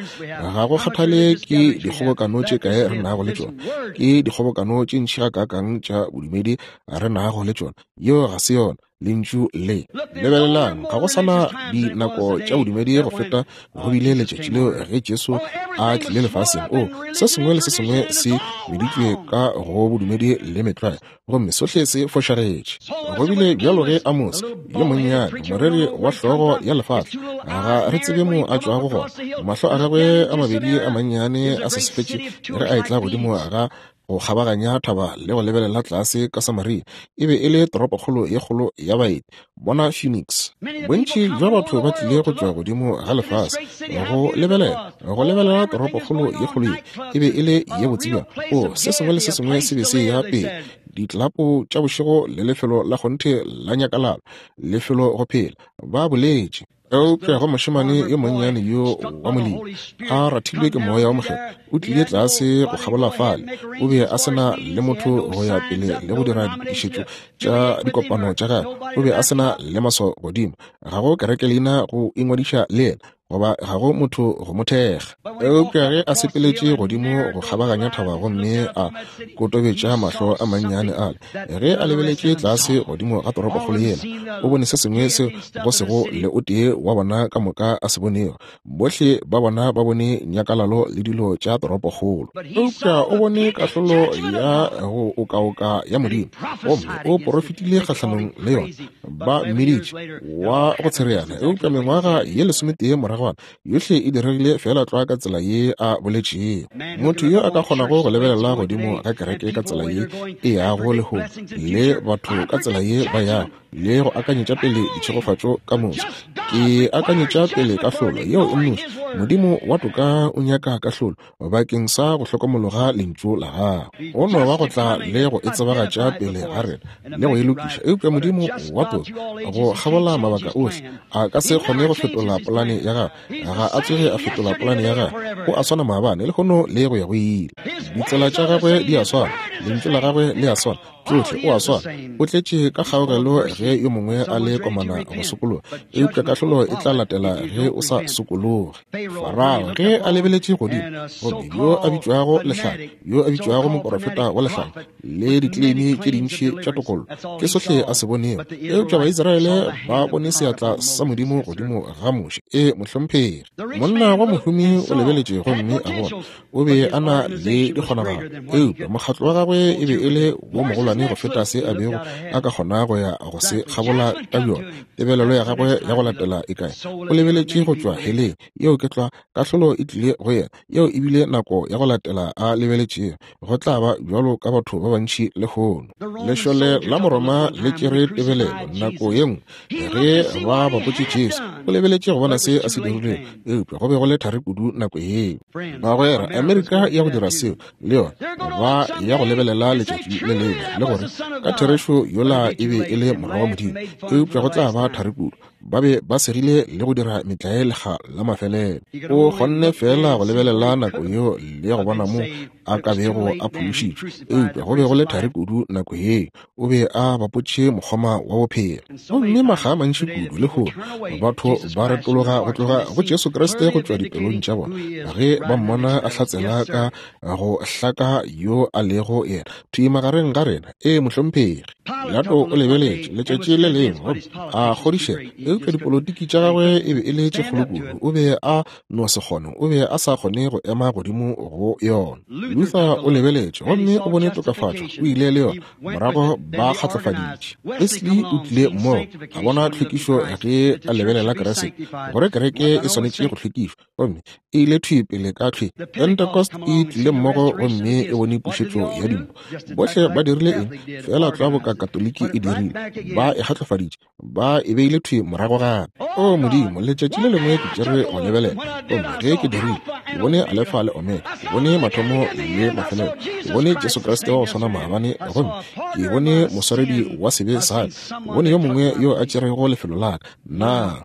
Ga go kgathale ke dikgobokano tše kae re nago le tšona, ke dikgobokano tše ntši gakaakang tša bodumedi re nago le tšona. Yeo ga se yona Lentšu le. Lebelelang, ga go sa na dinako tša bodumedi go feta go bile letšatši leo ge Jesu a tlile lefaseng. O, se sengwe le se sengwe se meditšwe ka go bodumedi le metlwae, gomme sohle se fošagetše. Go bile bjalo ge Amos yo monnyane, moreri wa hlogo ya lefahla, ga re tsebe mo a tšwago gona, mahlo a gagwe a mabedi a mannyane a sesefetše ge a etla godimo ga go kgabaganya thaba le go lebelela tlase ka Samaria. E be e le toropokgolo ye kgolo ya baeti. Bona Phoenix. Bontši bja batho ba tlile go tšwa godimo ga lefase go lebelela, go lebelela toropokgolo ye kgolo ye. E be e le ye botse bjang. O, se sengwe le se sengwe se be se ya pele. Ditlapo tša bošego le lefelo la kgonthe la nyakalalo, lefelo go phela, ba boletše. Eupša go mošemane yo monnyane yo wa molemi, a rathilwe ke Moya wo Mokgethwa, o tlile tlase go kgabola fale. O be a se na le motho go ya pele le go dira ditokišetšo tša dikopano tša gagwe. O be a se na le maswao godimo. Ga go kerekeleina go ingwadiša le yena, goba ga go motho go mo thekga. Eupša ge a sepeletše godimo go kgabaganya thaba gomme a kotobetša mahlo a mannyane ale, ge a lebeletše tlase godimo ga toropokgolo yela, o bone se sengwe seo go sego le o tee wa bona ka moka a se bonego. Bohle ba bona ba bone nyakalalo le dilo tša toropokgolo, eupša o bone kahlolo ya go okaoka ya Modimo, gomme o porofetile kgahlanong le yona. Ba mmiditše wa go tshereana, eupša mengwaga ye lesometee moragwana yohle e diregile feela tlwa ka tsela ye a boletšego. Motho yo a ka kgonago go lebelela godimo ga kereke ka tsela ye e yago lehono, le batho ka tsela ye ba yago, le go akanyetša pele ditšhegofatšo ka moso, ke akanyetša pele kahlolo yeo e nnoši. Modimo wa toka o nyaka kahlolo bakeng sa go hlokomologa lentšu la gagwe. Go no ba go tla le go e tsebagatša pele ga rena le go e lokiša. Eupša Modimo wa toka, go kgabola mabaka ohle, a ka se kgone go fetola polane ya gagwe. Ga a tsoge a fetola polane ya gagwe. O a swana maabane, lehono le go ya go ile. Ditsela tša gagwe di a swana, lentšu la gagwe le a swana, tšohle o a swana. O tletše ka kgaogelo ge yo mongwe a le komana go sokologa, eupša kahlolo e tla latela ge o sa sokologe. Farao ge a lebeletše godimo, gomme yo a bitšwago lehlanya, yo a bitšwago moporofeta wa lehlanya, le dikleimi tše dintši tša tokollo, ke sohle a se bonego. Eupša Baisraele ba bone seatla sa Modimo godimo ga Moshe. Ee, mohlomphegi. Monna wa mohumi o lebeletše gomme a bona o be a na le dikgonagalo, eupša mokgatlo wa gagwe e be e le wo mogolwane go feta se a bego a ka kgona go ya go se kgabola ka bjona. Tebelelo ya gagwe ya go latela e kae? O lebeletše go tšwa heleng. Yeo ke tlwa. Kahlolo e tlile go yena. Yeo e bile nako ya go latela a lebeletšego. Go tla ba bjalo ka batho ba bantši lehono. Lešole la Moroma le tšere tebelelo nako ye nngwe ge ba bapotše Jesu. O lebeletše go bona se a se dirilego, eupša go be go le thari kudu nako yeo. Bagwera, Amerika ya go dira seo le yona, ba ya go lebelela letšatši le lengwe le gore ka therešo yola e be e le Morwa wa Modimo, eupša go tla ba thari kudu. Ba be ba segile le go dira metlae lekga la mafelelo. O kgonne feela go lebelela nako yeo le go bona mo a ka bego a phološitšwe, eupša go be go le thari kudu nako yeo. O be a bapotše mokgoma wa bophelo. Gomme makga a mantši kudu lehono batho ba retologa go tloga go Jesu Kriste go tšwa dipelong tša bona ge ba mmona a hlatsela ka go hlaka yo a lego yena thwi magareng ga rena. Ee, mohlomphegi. Pilato o lebeletše letšatši le lengwe gomme a kgodišega, eupša dipolotiki tša gagwe e be e le tše kgolo kudu, o be a no se kgone, o be a sa kgone go ema godimo go yona. Luther o lebeletše gomme o bone tokafatšo, o ile le yona, morago ba kgatlofaditše. Wesley o tlile mmogo, a bona tlhwekišo ge a lebelela Kriste, gore kereke e swanetše go hlwekišwa, gomme e ile thwi pele ka thwi. Pentecost e tlile mmogo gomme e bone pušetšo ya dimpho. Bohle ba dirile eng? Feela tlwa boka Katoliki e dirile, ba e kgatlofaditše, ba e beile thwi morago gape. O Modimo, letšatši le lengwe ke tšere go lebelela, gomme ge ke dirile, ke bone Alefa le Omega, ke bone mathomo le mafelelo, ke bone Jesu Kriste wa go swana maabane, gomme ke bone moswaredi wa sebe sa ka, ke bone yo mongwe yo a tšerego lefelo la ka. Na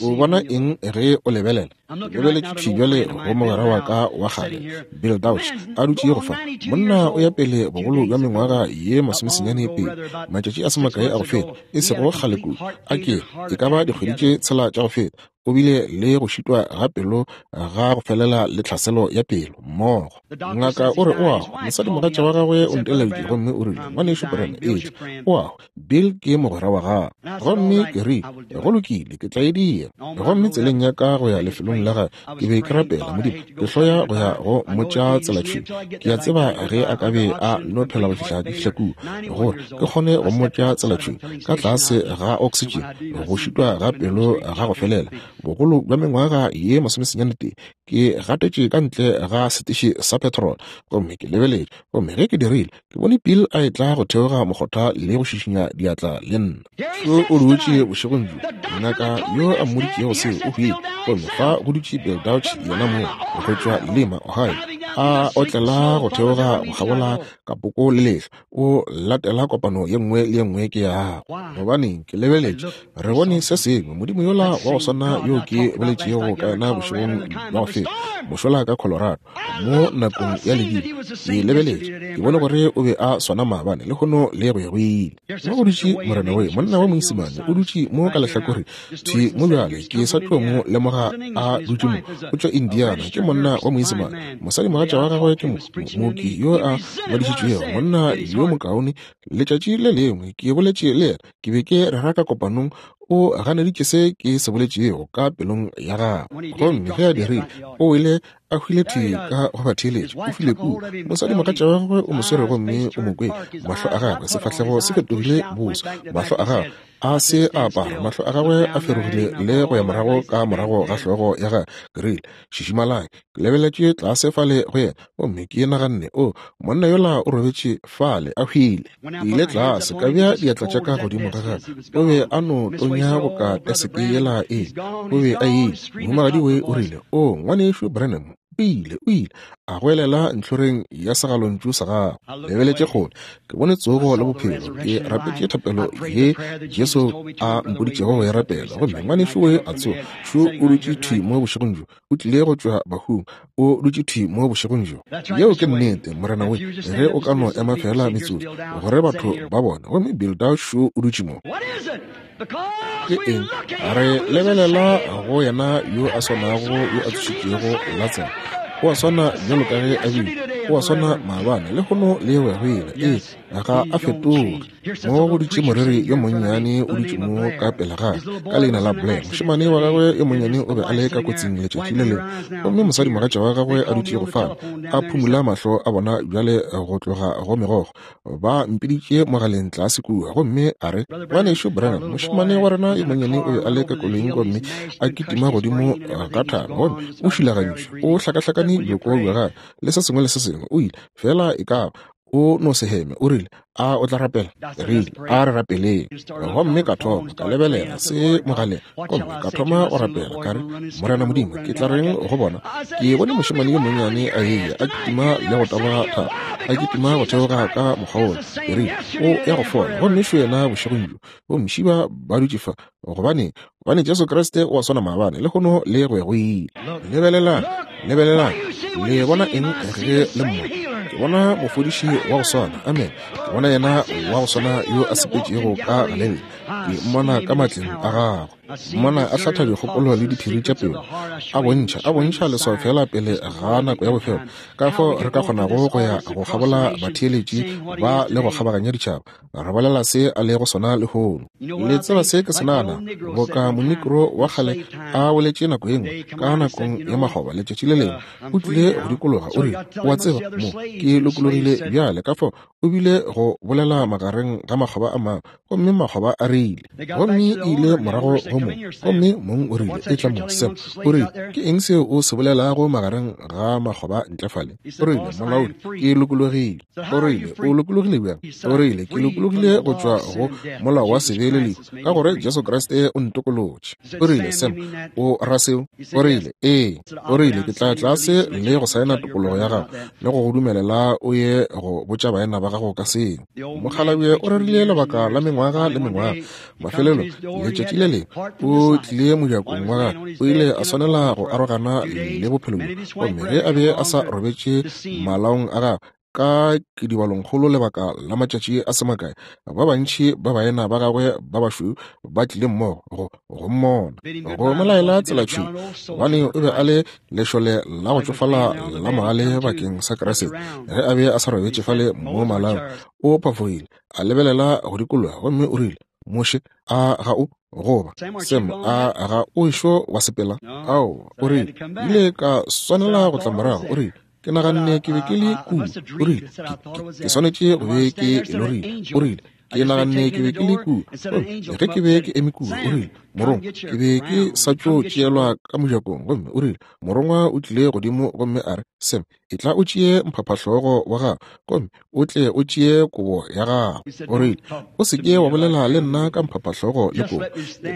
o bona eng ge o lebelela? Ke lebeletše thwi bjale go mogwera wa ka wa kgale, Bill Dauch, a dutše go fa. Monna o ya pele bogolo bja mengwaga ye masomesenyane pele, matšatši a se makae a go feta, e sego kgale kudu, a ke e ka ba dikgwedi tše tshela tša go feta. O bile le go šitwa ga pelo ga go felela le tlhaselo ya pelo, mmogo. Ngaka o re o a hwa. Mosadimogatša wa gagwe o nteleditše gomme o rile, Ngwanešu Branham, etla. O a hwa. Bill ke mogwera wa gago. Gomme ke rile, Go lokile, ke tla e dira. Gomme tseleng ya ka go ya lefelong la gae, ke be ke rapela, Modimo, ke hloya go ya go mmotša tsela thwi. Ke a tseba ge a ka be a no phela go fihla ke fihla kua, gore ke kgone go mmotša tsela thwi, ka tlase ga oksitšene, go šitwa ga pelo ga go felela, bogolo bja mengwaga ye masomesenyane-tee, ke gatetše ka ntle ga setiši sa petrol, gomme ke lebeletše, gomme ge ke dirile, ke bone Bill a etla go theoga mokgotha le go šišinya diatla le nna. Šo o dutše bošegong bjo, ngaka yo a mmoditšego seo o hwile, gomme fa go dutše Bill Dauch yena mong, go tšwa Lima, Ohio, a otlela go theoga go kgabola kapoko le lehlwa, o latela kopano ye nngwe le ye nngwe ke yago. Gobaneng, ke lebeletše, re bone se sengwe, Modimo yola wa go swana yo ke boletšego ka yena bošegong bja go feta, mošola ka Colorado, mo nakong ya ledimo. Ke lebeletše, ke bone gore o be a swana maabane, lehono le go ya go ile. Mo go dutše Morena we, monna wa Moisimane, o dutše mo ka lehlakore thwi mo bjale, ke sa tlo mo lemoga a dutše mo, o tšwa Indiana, ke monna wa Moisimane. Mosadimogatša wa gagwe ke mooki yo a ngwadišitšwego, monna yo mokaone. Letšatši le lengwe ke boletše le yena, ke be ke rera ka kopanong, o ganeditše se ke se boletšego ka pelong ya gagwe. Gomme ge a dirile, o wele a hwile thwi ka go ba theeletša, o hwile kua. Mosadimogatša wa gagwe o mo swere gomme o mo kwele, mahlo a gagwe, sefahlego se fetogile boso, mahlo a gagwe a se a apara, mahlo a gagwe a ferogile le go ya morago ka morago ga hlogo ya gagwe. Ke rile, Šišimalang. Ke lebeletše tlase fale go yena, gomme ke naganne, O, monna yola o robetše fale, a hwile. Ke ile tlase, ka bea diatla tša ka godimo ga gagwe. O be a no tonya boka teseke yela e. O be a ile. Mohumagadi we o rile, O, Ngwanešu Branham, o ile, o ile, a goelela ntlhoreng ya segalontšu sa gagwe. Lebeletše kgole, ke bone tsogo le bophelo. Ke rapetše thapelo ye Jesu a mpoditšego go e rapela, gomme ngwanešu we a tsoga. Šo o dutše thwi mo bošegong bjo, o tlile go tšwa bahung, o dutše thwi mo bošegong bjo. Yeo ke nnete, Morena we, ge o ka no ema feela metsotso, gore batho ba bone. Gomme Bilda šo o dutše mo. Ke eng? Re lebelela go yena yo a swanago yo a tsošitšego Latsaro. O a swana bjalo ka ge a bile, o a swana maabane, lehono le go ya go ile. Ee, ga a fetoge. Mo go dutše moreri yo monnyane o dutše mo ka pele ga ka leina la Blair. Mošemane wa gagwe yo monnyane o be a le ka kotsing letšatši le lengwe, gomme mosadimogatša wa gagwe a dutše go fale a phumula mahlo a bona bjale go tloga go megokgo. Ba mpiditše mogaleng tlase kua, gomme a re, Ngwanešu Branham, mošemane wa rena yo monnyane o be a le ka koloing gomme a kitima godimo ga thaba, gomme o šilagantšwe, o hlakahlakane bjoko bja gagwe le se sengwe le se sengwe. O ile feela e ka ba o no se heme. O rile, A o tla rapela? Rile, A re rapeleng. Gomme ka thoma ka lebelela se mogaleng, gomme ka thoma go rapela, ka re, Morena Modimo, ke tla reng go bona? Ke bone mošemane yo monnyane a eya, a kitima le go taboga thaba, a kitima go theoga ka mokgwa wola. Ke rile, O ya go fola. Gomme šo yena bošegong bjo, bomšiba ba dutše fa. Gobaneng? Gobane Jesu Kriste o a swana maabane, lehono le go ya go ile. Lebelelang, lebelelang, le bona eng ge le mmona? Ke bona mofodiši wa go swana, amen. Ke bona yena wa go swana yo a sepetšego ka Galilea. Ke mmona ka matleng a gagwe, mmona a hlatha dikgopolo le diphiri tša pelo, a bontšha, a bontšha leswao feela pele ga nako ya bofelo, ka fao re ka kgonago go ya go kgabola batheeletši ba le go kgabaganya ditšhaba, re bolela se a lego sona lehono. Le tseba se ke se naganago? Boka Monegro wa kgale a boletše nako ye nngwe, ka nakong ya makgoba, letšatši le lengwe, o tlile go dikologa, o rile, O a tseba, mo, ke lokologile bjale. Ka fao o bile go bolela magareng ga makgoba a mangwe, gomme makgoba a rile. Gomme e ile morago go mong, gomme mong o rile, Etla mo, Sam. O rile, Ke eng seo o se bolelago magareng ga makgoba ntle fale? O rile, Molaodi, ke lokologile. O rile, O lokologile bjang? O rile, Ke lokologile go tšwa go molao wa sebe le lehu, ka gore Jesu Kriste o ntokolotše. O rile, Sam, o ra seo? O rile, Ee. O rile, Ke tla tlase le go saena tokologo ya gago le go go dumelela o ye go botša baena ba gago ka seo. Mokgalabje o rerile lebaka la mengwaga le mengwaga. Mafelelo, letšatši le lengwe o tlile mojakong wa gagwe, o ile a swanela go arogana le bophelo bjo. Gomme ge a be a sa robetše malaong a gagwe, Ka kidibalongkgolo lebaka la matšatši a se makae, ba bantši ba baena ba gagwe ba bašweu ba tlile mmogo go go mmona, go mo laela tselatšhweu, gobane o be a le lešole la go tšofala la mogale bakeng sa Kriste. Ge a be a sa robetše fale mo malaong, o phafogile, a lebelela go dikologa, gomme o rile, Moshe, a ga o goba Sam, a ga o ešo wa sepela? Ao, o rile, ile ka swanela go tla morago. O rile, ke naganne ke be ke le kua. O rile, ke swanetše go be ke lorile. O rile, ke naganne ke be ke le kua. Ge ke be ke eme kua, o rile, morongwa, ke be ke sa tšo tšeelwa ka mojakong, gomme o rile, morongwa o tlile godimo gomme a re, Sam, etla o tšee mphaphahlogo wa gago gomme o tle o tšee kobo ya gago. O rile, o se ke wa bolela le nna ka mphaphahlogo le kobo.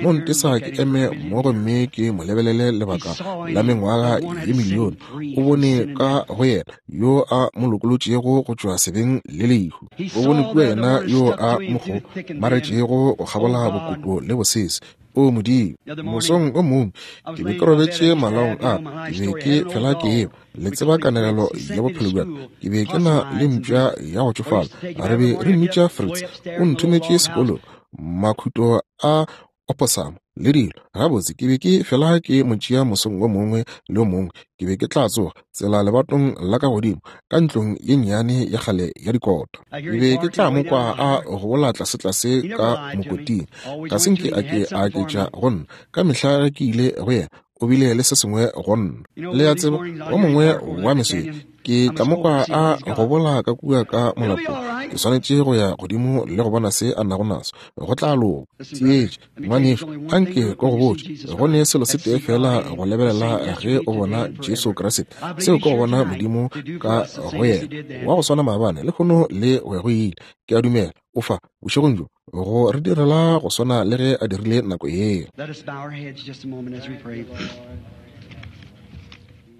No ntesa ke eme mo gomme ke mo lebelele lebaka la mengwaga ye milione. O bone ka go yena yo a mo lokolotšego go tšwa sebeng le lehu. O bone kua yena yo a mo kgomaretšego go kgabola bokoto le bosese. O Modimo, mosong o mongwe ke be ke robetše malaong a, ke be ke fela ke eba. Le tseba kanegelo ya bophelo bja ka. Ke be ke na le mpša ya go tšofala, re be re mmitša Fritz. O nthometše sekolong, makhuto a oposamo le dilo. Gabotse, ke be ke fela ke mo tšea mosong o mongwe le o mongwe. Ke be ke tla tsoga tsela lebatong la ka godimo ka ntlong ye nnyane ya kgale ya dikota. Ke be ke tla mo kwa a gobola tlasetlase ka mokoting. Ga se nke a ke a aketša go nna. Ka mehla ge ke ile go yena, o bile le se sengwe go nna. Le a tseba, wo mongwe wa meso ye, ke tla mo kwa a gobola ka kua ka molapong. Ke swanetše go ya godimo le go bona se a nago naso. Go tla loka. Theetša, ngwanešu, anke ke go botše, go ne selo se tee feela go lebelela ge o bona Jesu Kriste, seo ke go bona Modimo ka go yena, wa go swana maabane, lehono le go ya go ile. Ke a dumela o fa bošegong bjo go re direla go swana le ge a dirile nako yeo.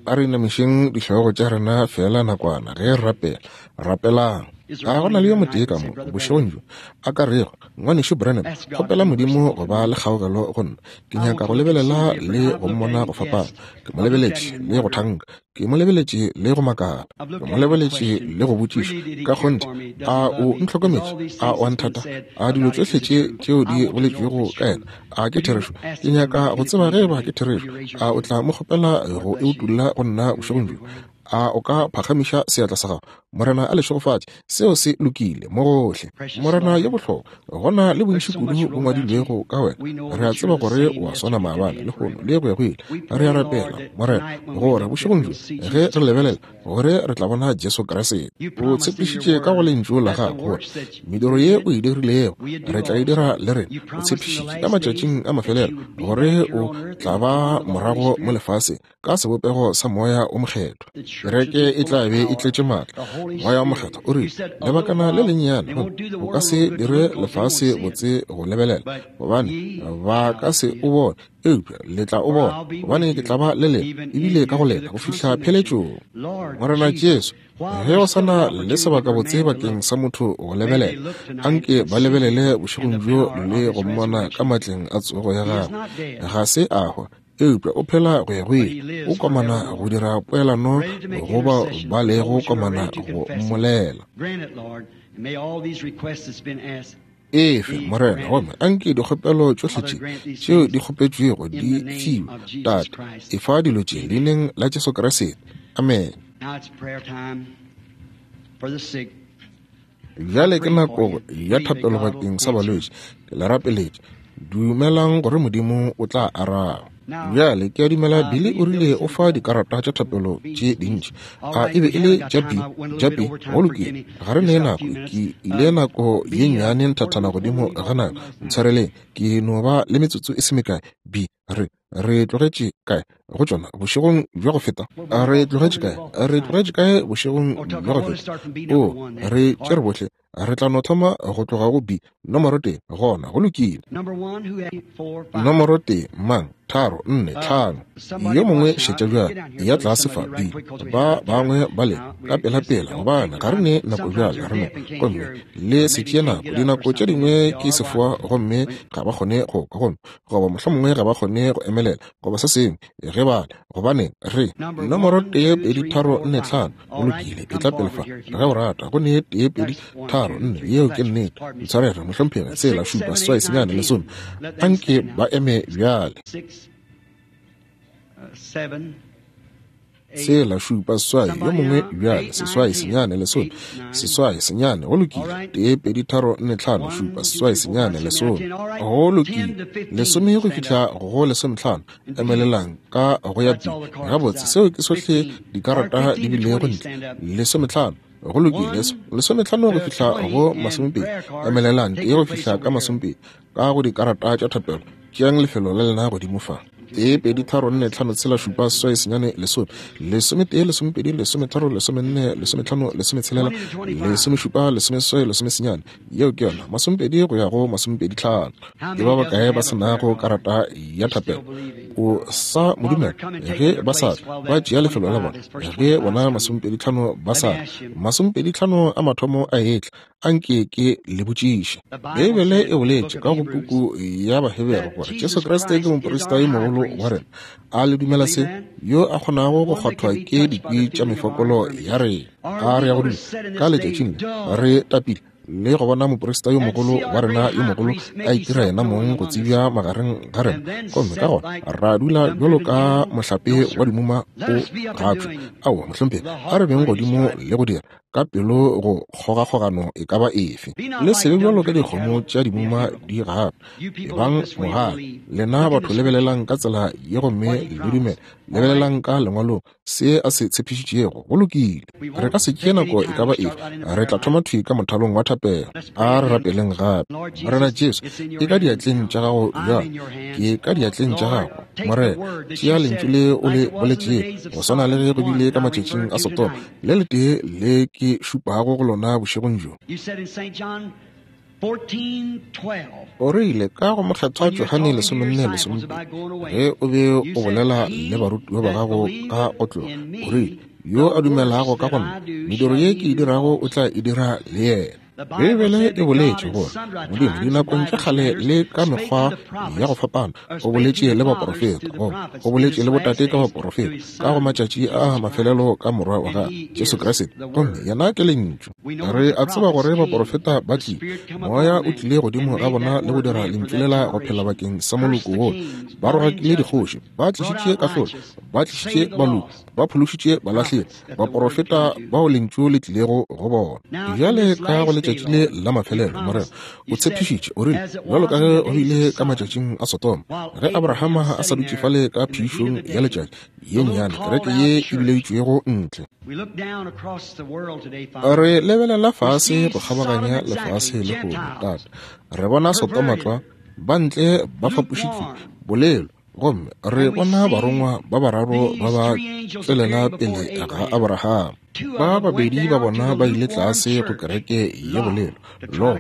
A re inamišeng dihlogo tša rena feela nakwana ge re rapela. Rapelang. A go na le yo motee ka mo bošegong bjo a ka rego, Ngwanešu Branham, kgopela Modimo go ba le kgaogelo go nna. Ke nyaka go lebelela le go mmona go fapana. Ke mo lebeletše le go thanka. Ke mo lebeletše le go makala. Ke mo lebeletše le go botšiša. Ka kgonthe, a o ntlhokometše? A o a nthata? A dilo tšohle tše tšeo di boletšwego ka yena, a ke therešo? Ke nyaka go tseba ge eba ke therešo. A o tla mo kgopela go e utolla go nna bošegong bjo? A o ka phagamiša seatla sa gago? Morena a le šegofatše. Seo se lokile mo gohle. Morena yo bohlokwa, go na le bontši kudu bo ngwadilwego ka wena. Re a tseba gore o a swana maabane, lehono, le go ya go ile. Re a rapela, Morena, gore bošegong bjo, ge re lebelela, gore re tla bona Jesu Kriste. O tshepišitše ka go Lentšu la Gago gore mediro ye o e dirilego re tla e dira le rena. O tshepišitše ka matšatšing a mafelelo gore o tla ba morago mo lefaseng ka sebopego sa Moya o Mokgethwa. Kereke e tla be e tletše maatla. Moya o Mokgethwa o rile, Lebakana le lennyane, gomme o ka se dire lefase botse go lebelela, gobane ba ka se o bone, eupša le tla o bona, gobane ke tla ba le lena, ebile ka go lena, go fihla pheletšong. Morena Jesu, ge go sa na le sebakabotse bakeng sa motho go lebelela, anke ba lebelele bošegong bjo le go mmona ka matleng a tsogo ya gagwe. Ga se a hwa, eupša o phela go ya go ile, o komana go dira poelano go bao ba lego komana go mmolela. Efe, Morena, gomme anke dikgopelo tšohle tše tšeo di kgopetšwego di fiwe. Tate, efa dilo tše leineng la Jesu Kriste. Amen. Bjale ke nako ya thapelo bakeng sa balwetši. Ke le rapeletše. Dumelang gore Modimo o tla araba. Bjale ke a dumela Billy o rile o fa dikarata tša thapelo tše dintši. A e be e le tša B, tša B. Go lokile. Ga re ne nako. Ke ile nako ye nnyane nthathana godimo ga nako. Ntshwareleng. Ke no ba le metsotso e se mekae. B, re, re tlogetše kae go tšona bošegong bja go feta? Re tlogetše kae? Re tlogetše kae bošegong bja go feta? O, re tšere bohle. Re tla no thoma go tloga go B, nomoro tee. Gona, go lokile. Nomoro tee, mang? Tharo, nne, tlhano. Yo mongwe šetša bjale, eya tlase fa, bi, ba bangwe ba lena, ka pelapela, gobane ga re ne nako bjale, re no, gomme le se tšee nako. Dinako tše dingwe ke sefoa gomme ga ba kgone go kwa, gomme, goba mohlomongwe ga ba kgone go emelela, goba se sengwe, ge ba le, gobaneng, re, nomoro 1, 2, 3, 4, 5, go lokile, etla pele fa, ge o rata, go ne 1, 2, 3, 4, yeo ke nnete, ntshwarege, mohlomphegi, tsela, šupa, seswai, senyane, lesome, anke ba eme bjale. Tshela, šupa, seswai, yo mongwe bjale, seswai, senyane, lesome, seswai, senyane, go lokile, tee, pedi, tharo, nne, tlhano, šupa, seswai, senyane, lesome, go lokile, lesome go fihla go lesometlhano, emelelang ka go ya pele. Gabotse, seo ke sohle dikarata di bilego ntle, lesometlhano, go lokile, lesometlhano go fihla go masomepedi, emelelang, tee go fihla ka masomepedi, ka go dikarata tša thapelo, tšeang lefelo la lena godimo fa. 1, 2, 3, 4, 5, 6, 7, 8, 9, 10, 11, 12, 13, 14, 15, 16, 17, 18, 19. Yeo ke yona, masomepedi go ya go masomepedi-tlhano. Ke ba bakae ba se nago karata ya thapelo? O sa mo dumela? Ge ba sa tla, ba tšea lefelo la bona. Ge bona masomepedi-tlhano ba sa tla, masomepedi-tlhano a mathomo a etla, Anke ke le botšiše. Beibele e boletše ka go puku ya Bahebere gore Jesu Kriste ke moprista yo mogolo wa rena. A le dumela se? Yo a kgonago go kgwathwa ke dikwi tša mefokolo ya rena. A re ya go dula ka letšatšing le re tapile le go bona moprista yo mogolo wa rena yo mogolo a itira yena mong go tsebja magareng ga rena, gomme ka gona ra dula bjalo ka mohlape wa dimuma o gapšwa? Aowa, mohlomphegi, a re beng godimo le go dira ka pelo go kgogakgogano e ka ba efe. Le se be bjalo ka dikgomo tša dimuma di gape. Ebang mogale. Lena batho lebelelang ka tsela ye gomme le dumele. Lebelelang ka Lengwalong se a se tshepišitšego. Go lokile. Re ka se tšee nako e ka ba efe. Re tla thoma thwi ka mothalong wa thapelo. A re rapeleng gape. Morena Jesu, ke ka diatleng tša gago bjale. Ke ka diatleng tša gago. Morena, tšea lentšu le o le boletšego, go swana le ge go bile ka matšatšing a Sodoma, Le letee le ke šupago go lona bošegong bjo. O rile ka go Mokgethwa Johane 14:12, ge o be o bolela le barutiwa ba gago ka go tloga, o rile, Yo a dumelago ka go nna, mediro ye ke e dirago o tla e dira le yena. Beibele e boletše gore Modimo dinakong tša kgale le ka mekgwa ya go fapana o boletše le baporofeta, goba o boletše le botate ka baporofeta ka go matšatši a mafelelo ka Morwa wa gagwe Jesu Kriste, gomme yena ke Lentšu. Re a tseba gore baporofeta ba tlile, Moya o tlile godimo ga bona le go dira Lentšu lela go phela bakeng sa moloko wo. Ba rogakile dikgoši, ba tlišitše kahlolo, ba tlišitše baloki, ba phološitše balahlegi, baporofeta bao Lentšu le tlilego go bona. Bjale ka go letšatši le la mafelelo, Morena, o tshepišitše, o rile, bjalo ka ge go bile ka matšatšing a Sodoma, ge Abrahama a sa dutše fale ka phišong ya letšatši, ye nnyane, kereke ye e bileditšwego ntle. Re lebelela fase go kgabaganya lefase lehono, Tate. Re bona Sodoma tlwa, ba ntle ba fapošitšwe, bolelo, Gomme re bona barongwa ba bararo ba ba tšwelela pele ga Abraham. Ba babedi ba bona ba ile tlase go kereke ye bolelo, Lo,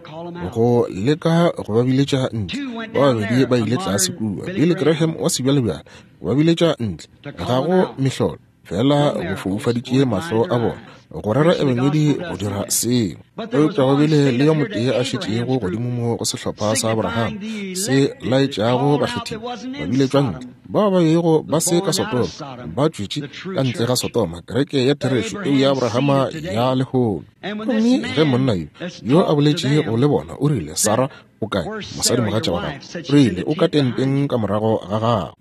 go leka go ba biletša ntle. Ba babedi ba ile tlase kua, Billy Graham wa sebjalebjale, go ba biletša ntle. Ga go mehlolo. Fela go foufaditše mahlo a bona go rera ebangedi go dira seo. Eupša go bile le yo motee a šetšego godimo mo go sehlopha sa Abraham se laetšago bakgethiwa ba biletšwa ntle, bao ba bego ba se ka Sodoma, ba tšwetše ka ntle ga Sodoma, kereke ya therešo, peu ya Abrahama ya lehono. Gomme ge monna yo, yo a boletšego le bona, o rile, Sara o kae mosadimogatša wa gago? O rile, O ka tenteng ka morago ga gago.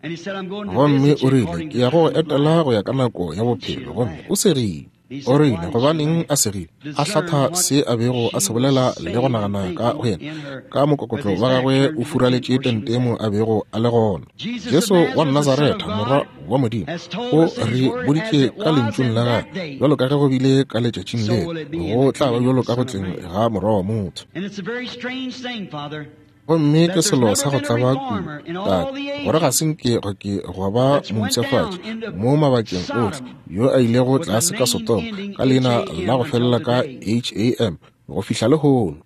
Gomme o rile, Ke ya go go etela go ya ka nako ya bophelo. Gomme o segile. O rile, Gobaneng a segile? A hlatha se a bego a se bolela le go nagana ka go yena. Ka mokokotlo wa gagwe o furaletše tente mo a bego a le gona. Jesu wa Nazaretha, Morwa wa Modimo, o re boditše ka Lentšung la gagwe, bjalo ka ge go bile ka letšatšing leo, go tla ba bjalo ka go tleng ga Morwa wa motho. Gomme ke selo sa go tlaba kudu, Tate, gore ga se nke go ke gwa ba mompshafatši mo mabakeng ohle yo a ilego tlase ka Sodoma ka leina la go felela ka H-A-M go fihla lehono.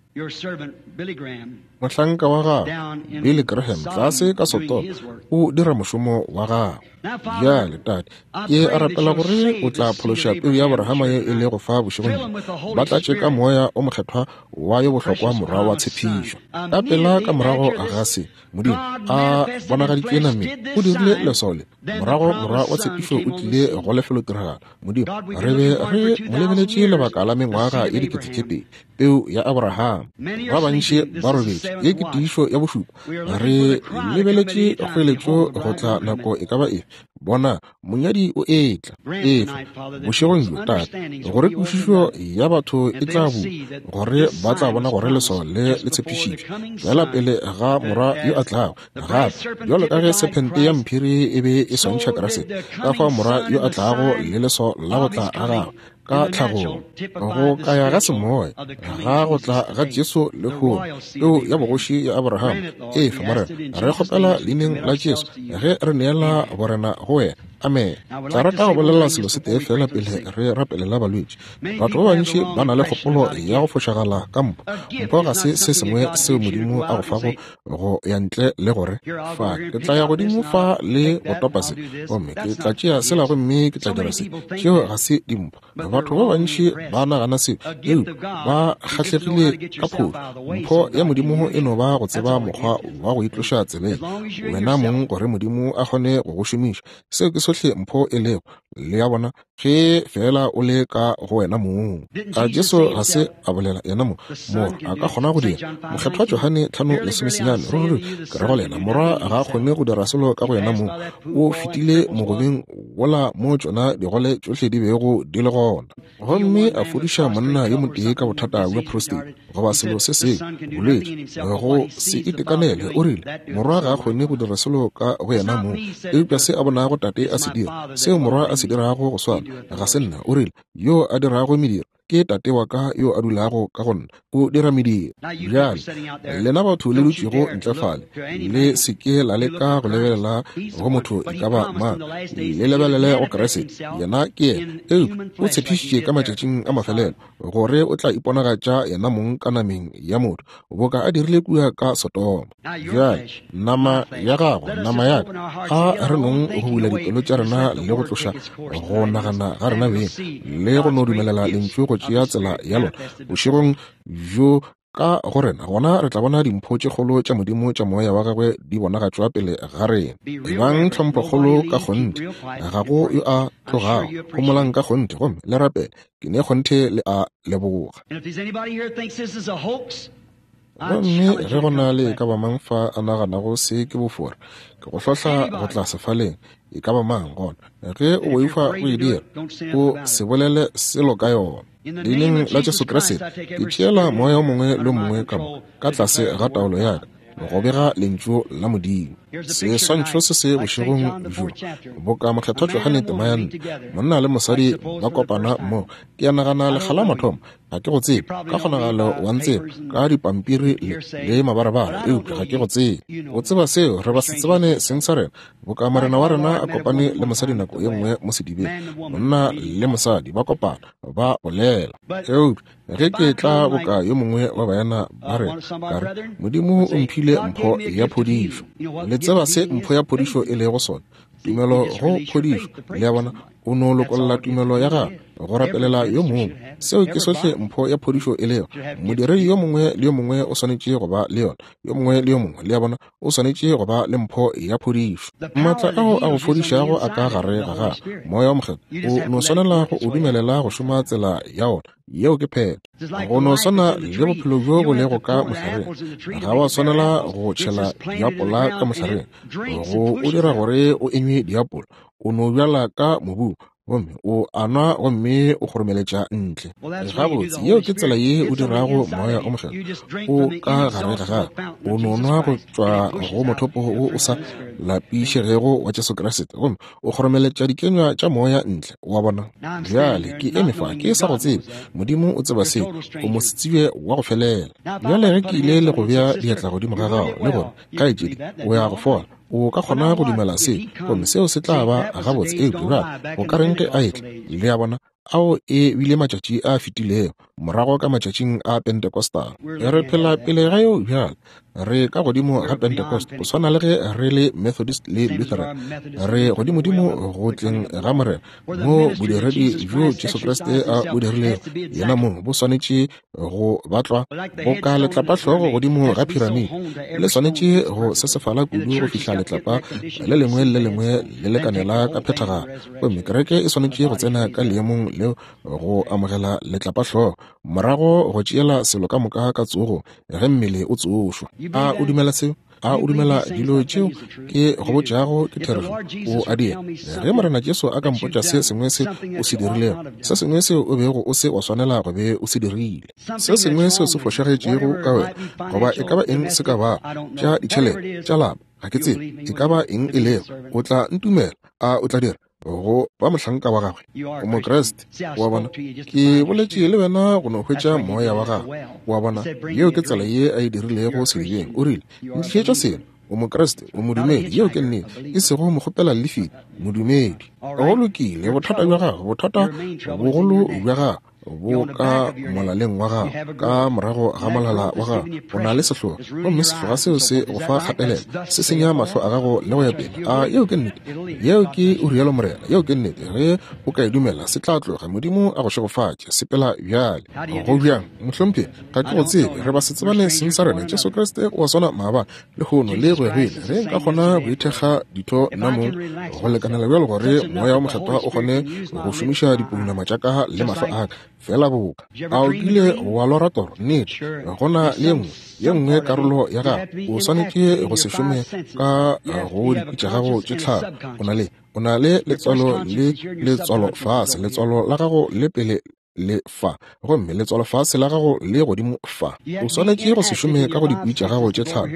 Mohlanka wa gago, Billy Graham, tlase ka Sodoma, o dira mošomo wa gagwe. Bjale, Tate, ke a rapela gore o tla phološa peu ya Abrahama ye e lego fa bošegong bjo. Ba tlatše ka Moya o Mokgethwa wa yo bohlokwa Morwa wa tshepišo. Ka pela ka morago ga se, Modimo a bonagaditšwe nameng, o dirile leswao le. Morago Morwa wa tshepišo o tlile go lefelotiragalo. Modimo, re be re mo lebeletše lebaka la mengwaga ye 2000, peu ya Abraham. Ba bantši ba robetše. Ye ke tiišo ya bošupa. Re lebeletše kgoeletšo go tla nako e ka ba efe. Bona, monyadi o etla. Efa, bošegong bjo, Tate, gore kwešišo ya batho e tla bulwa, gore ba tla bona gore leswao le le tshepišitšwe feela pele ga morwa yo a tlago. Gape, bjalo ka ge sephente ya mphiri e be e swantšha Kriste, ka fao morwa yo a tlago le leswao la go tla ga gagwe ka tlhagong, go kaya ga semoya ga go tla ga Jesu lehono, peu ya bogoši ya Abraham. Efa, Morena, re kgopela leineng la Jesu ge re neela borena go wena. Amen. Tla rata go bolela selo se tee fela pele re rapelela balwetši. Batho ba bantši ba na le kgopolo ya go fošagala ka mpho. Mpho ga se se sengwe seo Modimo a go fago go ya ntle le gore fa ke tla ya godimo fa le go topa se, gomme ke tla tšea sela gomme ke tla dira se. Tšeo ga se dimpho. Batho ba bantši ba nagana seo, eupša ba kgahlegile ka phošo. Mpho ya Modimo e no ba go tseba mokgwa wa go itloša tseleng wena mong gore Modimo a kgone go go šomiša. Seo ke sohle mpho e lego. Le a bona? Ge feela o le ka go wena mong. A Jesu ga se a bolela yena mong, Morwa a ka kgona go dira? Mokgethwa Johane 5:19, Ruri ke re go lena, Morwa ga a kgone go dira selo ka go yena mong. O fetile mogobeng wola mo tšona digole tšohle di bego di le gona, gomme a fodiša monna yo motee ka bothata bja prostate goba selo se sengwe, bolwetši, go se itekanele. O rile, Morwa ga a kgone go dira selo ka go yena mong, eupša se a bonago Tate a se dira, seo Morwa a se dirago go swana, ga se nna. O rile, Yo a dirago mediro ke Tate wa ka yo a dulago ka go nna, o dira mediro. Bjale, lena batho le dutšego ntle fale, le se ke la leka go lebelela go motho e ka ba mang, le lebelele go Kriste. Yena ke yena. Eupša o tshepišitše ka matšatšing a mafelelo gore o tla iponagatša yena mong ka nameng ya motho, boka a dirile kua ka Sodoma. Bjale, nama ya gago, nama ya ka, a re nong go bula dipelo tša rena le go tloša go nagana ga rena beng, le go no dumelela Lentšu go tšea tsela ya lona bošegong bjo ka go rena, gona re tla bona dimpho tše kgolo tša Modimo tša Moya wa gagwe di bonagatšwa pele ga rena. Ebang tlhomphokgolo ka kgonthe, ga go yo a tlogago. Homolang ka kgonthe gomme le rapele. Ke ne kgonthe le a leboga. Gomme ge go na le e ka ba mang fa a naganago se ke bofora, ke go hlohla go tla sefaleng, e ka ba mang gona. Ge o boifa go e dira, o se bolele selo ka yona. Leineng la Jesu Kriste, ke tšeela moya o mongwe le o mongwe ka mo ka tlase ga taolo ya ka, go bega Lentšu la Modimo. Seswantšho se se bošegong bjo, boka Mokgethwa Johane tema ya 4, monna le mosadi ba kopana mmogo. Ke a nagana lekga la mathomo, ga ke go tsebe, ka kgonagalo wa ntseba ka dipampiri le mabarabara, eupša ga ke go tsebe. O tseba seo, re ba se tsebane seng sa rena. Boka Morena wa rena a kopane le mosadi nako ye nngwe mo sedibeng, monna le mosadi ba kopana, ba bolela. Eupša ge ke tla boka yo mongwe wa baena ba rena, ka re, Modimo o mphile mpho ya phodišo. Le tseba se mpho ya phodišo e lego sona? Tumelo go phodišo. Le a bona? O no lokolla tumelo ya gago go rapelela yo mongwe. Seo ke sohle mpho ya phodišo e lego. Modiredi yo mongwe le yo mongwe o swanetše go ba le yona. Yo mongwe le yo mongwe, le a bona, o swanetše go ba le mpho ya phodišo. Maatla ao a go fodišago a ka gare ga gago, Moya wo Mokgethwa. O no swanela go o dumelela go šoma tsela ya ona. Yeo ke phetho. Go no swana le bophelo bjo bo lego ka mohlareng. Ga wa swanela go tšhela diapola ka mohlareng go o dira gore o enywe diapola. O no bjala ka mobung, gomme o a nwa gomme o kgoromeletša ntle. Gabotse, yeo ke tsela ye o dirago Moya o Mokgethwa. O ka gare ga gago. O no nwa go tšwa go mothopo wo o sa lapišegego wa Jesu Kriste, gomme o kgoromeletša dikenywa tša Moya ntle. Wa bona? Bjale, ke eme fa, ke sa go tsebe. Modimo o tseba seo. O mosetsebje wa go felela. Bjale ge ke ile le go bea diatla godimo ga gago, le gore, Kgaetšedi, o ya go fola. O ka kgona go dumela se, gomme seo se tla ba gabotse. Eupša bjale go ka reng ge a etla? Le a bona? Ao e bile matšatši a fetilego, morago ka matšatšing a Pentecostal. Re phela pele ga yeo bjale. Re ka godimo ga Pentecost, go swana le ge re le Methodist le Lutheran. Re godimodimo go tleng ga Morena, moo bodiredi bjo Jesu Kriste a bo dirilego yena mong bo swanetše go batlwa boka letlapahlogo godimo ga piramide. Le swanetše go sesefala kudu go fihla letlapa le lengwe le le lengwe le lekanela ka phethagalo. Gomme kereke e swanetše go tsena ka leemong leo go amogela letlapahlogo, morago go tšeela selo ka moka ka tsogo ge mmele o tsošwa. A o dumela seo? A o dumela dilo tšeo ke go botšago ke therešo? O a dira. Ge Morena Jesu a ka mpotša se sengwe se o se dirilego, se sengwe seo o bego o se wa swanela go be o se dirile, se sengwe seo se fošagetšego ka wena, goba e ka ba eng se ka bago, tša ditšhelete, tša lapa, ga ke tsebe e ka ba eng e lego, o tla ntumela? A o tla dira go ba mohlanka wa gagwe? O Mokriste, wa bona. Ke boletše le wena go no hwetša moya wa gagwe, wa bona. Yeo ke tsela ye a e dirilego sedibeng. O rile, Ntlišetša seno. O Mokriste, o modumedi. Yeo ke nnete. E sego mokgopela lefiti, modumedi. Go lokile, bothata bja gago, bothata bogolo bja gago bo ka molaleng wa gago, ka morago ga molala wa gago o na le sehloga, gomme sehloga seo se go fa kgatelelo, se senya mahlo a gago le go ya pele. A yeo ke nnete? Yeo ke o rialo Morena. Yeo ke nnete. Ge o ka e dumela, se tla tloga. Modimo a go šegofatše. Sepela bjale. Go bjang, mohlomphegi? Ga ke go tsebe. Re ba se tsebane seng sa rena. Jesu Kriste o a swana maabane, lehono le go ya go ile. Ge nka kgona go ithekga ditho nna mong go lekanela bjalo gore Moya wo Mokgethwa o kgone go šomiša dipounama tša ka le mahlo a ka, feela boka. A o kile wa lora toro? Nnete. Go na le ye nngwe karolo ya gago o swanetše go se šome ka go dikwi tša gago tše tlhano. O na le letswalo le letswalo fase, letswalo la gago le pele le fa, gomme letswalo fase la gago le godimo fa. O swanetše go se šome ka go dikwi tša gago tše tlhano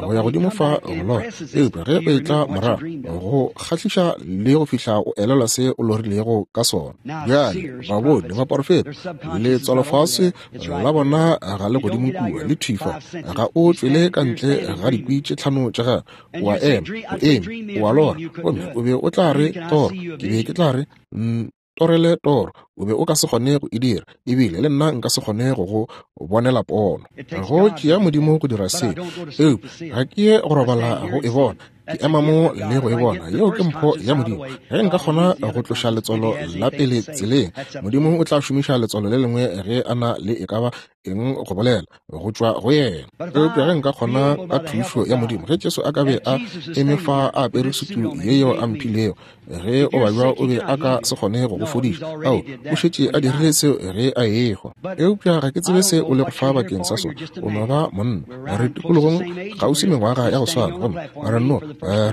go ya godimo fa go lora, eupša ge o etla morago go kgahliša le go fihla o elelwa se o lorilego ka sona. Bjale baboni, baporofeta, letswalo fase la bona ga le godimo kua, le thwi fa. Ga o tšwele ka ntle ga dikwi tše tlhano tša gago, o a ema, o eme, o a lora, gomme o be o tla re toro, ke be ke tla re torele toro, o be o ka se kgone go e dira, ebile le nna nka se kgone go go bonela pono. Go tšea Modimo go dira se, eupša ga ke ye go robala go e bona, ke ema mo le go e bona. Yeo ke mpho ya Modimo. Ge nka kgona go tloša letswalo la pele tseleng, Modimo o tla šomiša letswalo le lengwe ge a na le e ka ba eng go bolela go tšwa go yena. Eupša ge nka kgona ka thušo ya Modimo, ge Jesu a ka be a eme fa a apere sutu ye yeo a mphilego, ge o babja o be a ka se kgone go go fodiša. Ao, o šetše a dirile seo ge a ehwa. Eupša ga ke tsebe se o lego fa bakeng sa sona. O no ba monna. Re tikologong kgauswi mengwaga ya go swana, gomme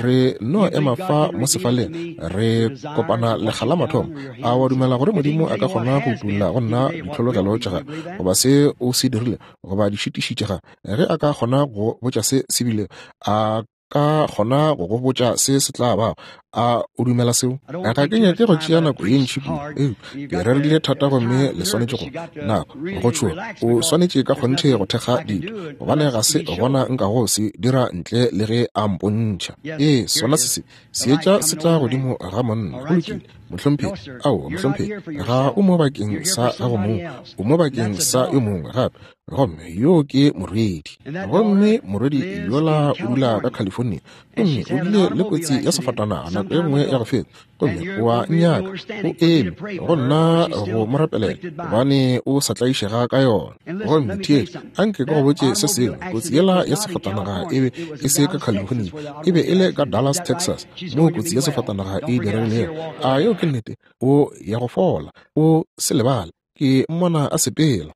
re no ema fa mo sefaleng, re kopana lekga la mathomo. A wa dumela gore Modimo a ka kgona go utolla go nna ditlhologelo tša gagwe, goba se o se dirile, goba dišitiši tša gagwe? Ge a ka kgona go botša se se bile, a ka kgona go go botša se se tla bago. A o dumela seo? Ga ke nyake go tšea nako ye ntši kudu, eupša ke rerile thata gomme le swanetše go nako go tšhoga. O swanetše ka kgonthe go thekga dito, gobane ga se gona nkago se dira ntle le ge a mpontšha. Ee, sona se seetša se tla godimo ga monna. Go lokile, mohlomphegi. Aowa, mohlomphegi, ga o mo bakeng sa gago mong, o mo bakeng sa yo mongwe gape. Gomme yo ke morwedi, gomme morwedi yola o dula ka California, gomme o bile le kotsi ya sefatanaga nako e nngwe ya go feta, gomme o a nnyaka, o eme go nna go mo rapelela, gobane o sa tlaišega ka yona. Gomme theetša, anke ke go botše se sengwe, kotsi yela ya sefatanaga e be e se ka California, e be e le ka Dallas, Texas, moo kotsi ya sefatanaga e diregilego. A yeo ke nnete? O ya go fola, o se lebale. Ke mmona a sepela.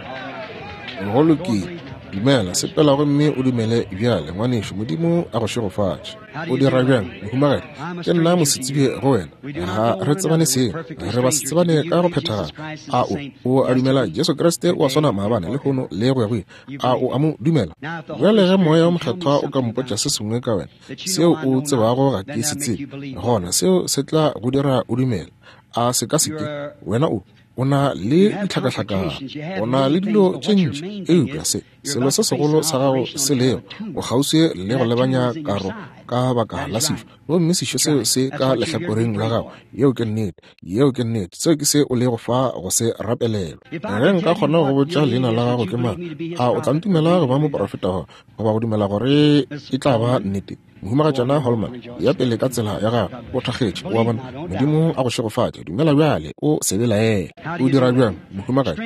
Go lokile. Dumela, sepela gomme o dumele bjale, ngwanešu. Modimo a go šegofatše. O dira bjang, mohumagadi? Ke nna mosetsebje go wena. Ga re tsebane seng. Re ba se tsebane ka go phethagala. A o a dumela Jesu Kriste o a swana maabane, lehono le go ya go ile? A o a mo dumela? Bjale ge Moya wo Mokgethwa o ka mpotša se sengwe ka wena, seo o tsebago ga ke se tsebe, gona seo se tla go dira o dumele. A se ka se ke? Wena o na le ditlhakahlakano, o na le dilo tše ntši, eupša se Selo se segolo sa gago se lego, o kgauswi le go lebanya karo ka baka la sešo, gomme sešo seo se ka lehlakoreng la gago. Yeo ke nnete. Yeo ke nnete. Seo ke se o lego fa go se rapelelwa. Ge nka kgona go botša leina la gago ke mang, a o tla ntumela go ba moprofeta goba go dumela gore e tla ba nnete? Mohumagatšana Holman, ya pele ka tsela ya gago, o thakgetše. O a bona? Modimo a go šegofatše. Dumela bjale, o se belaele. O dira bjang, mohumagadi?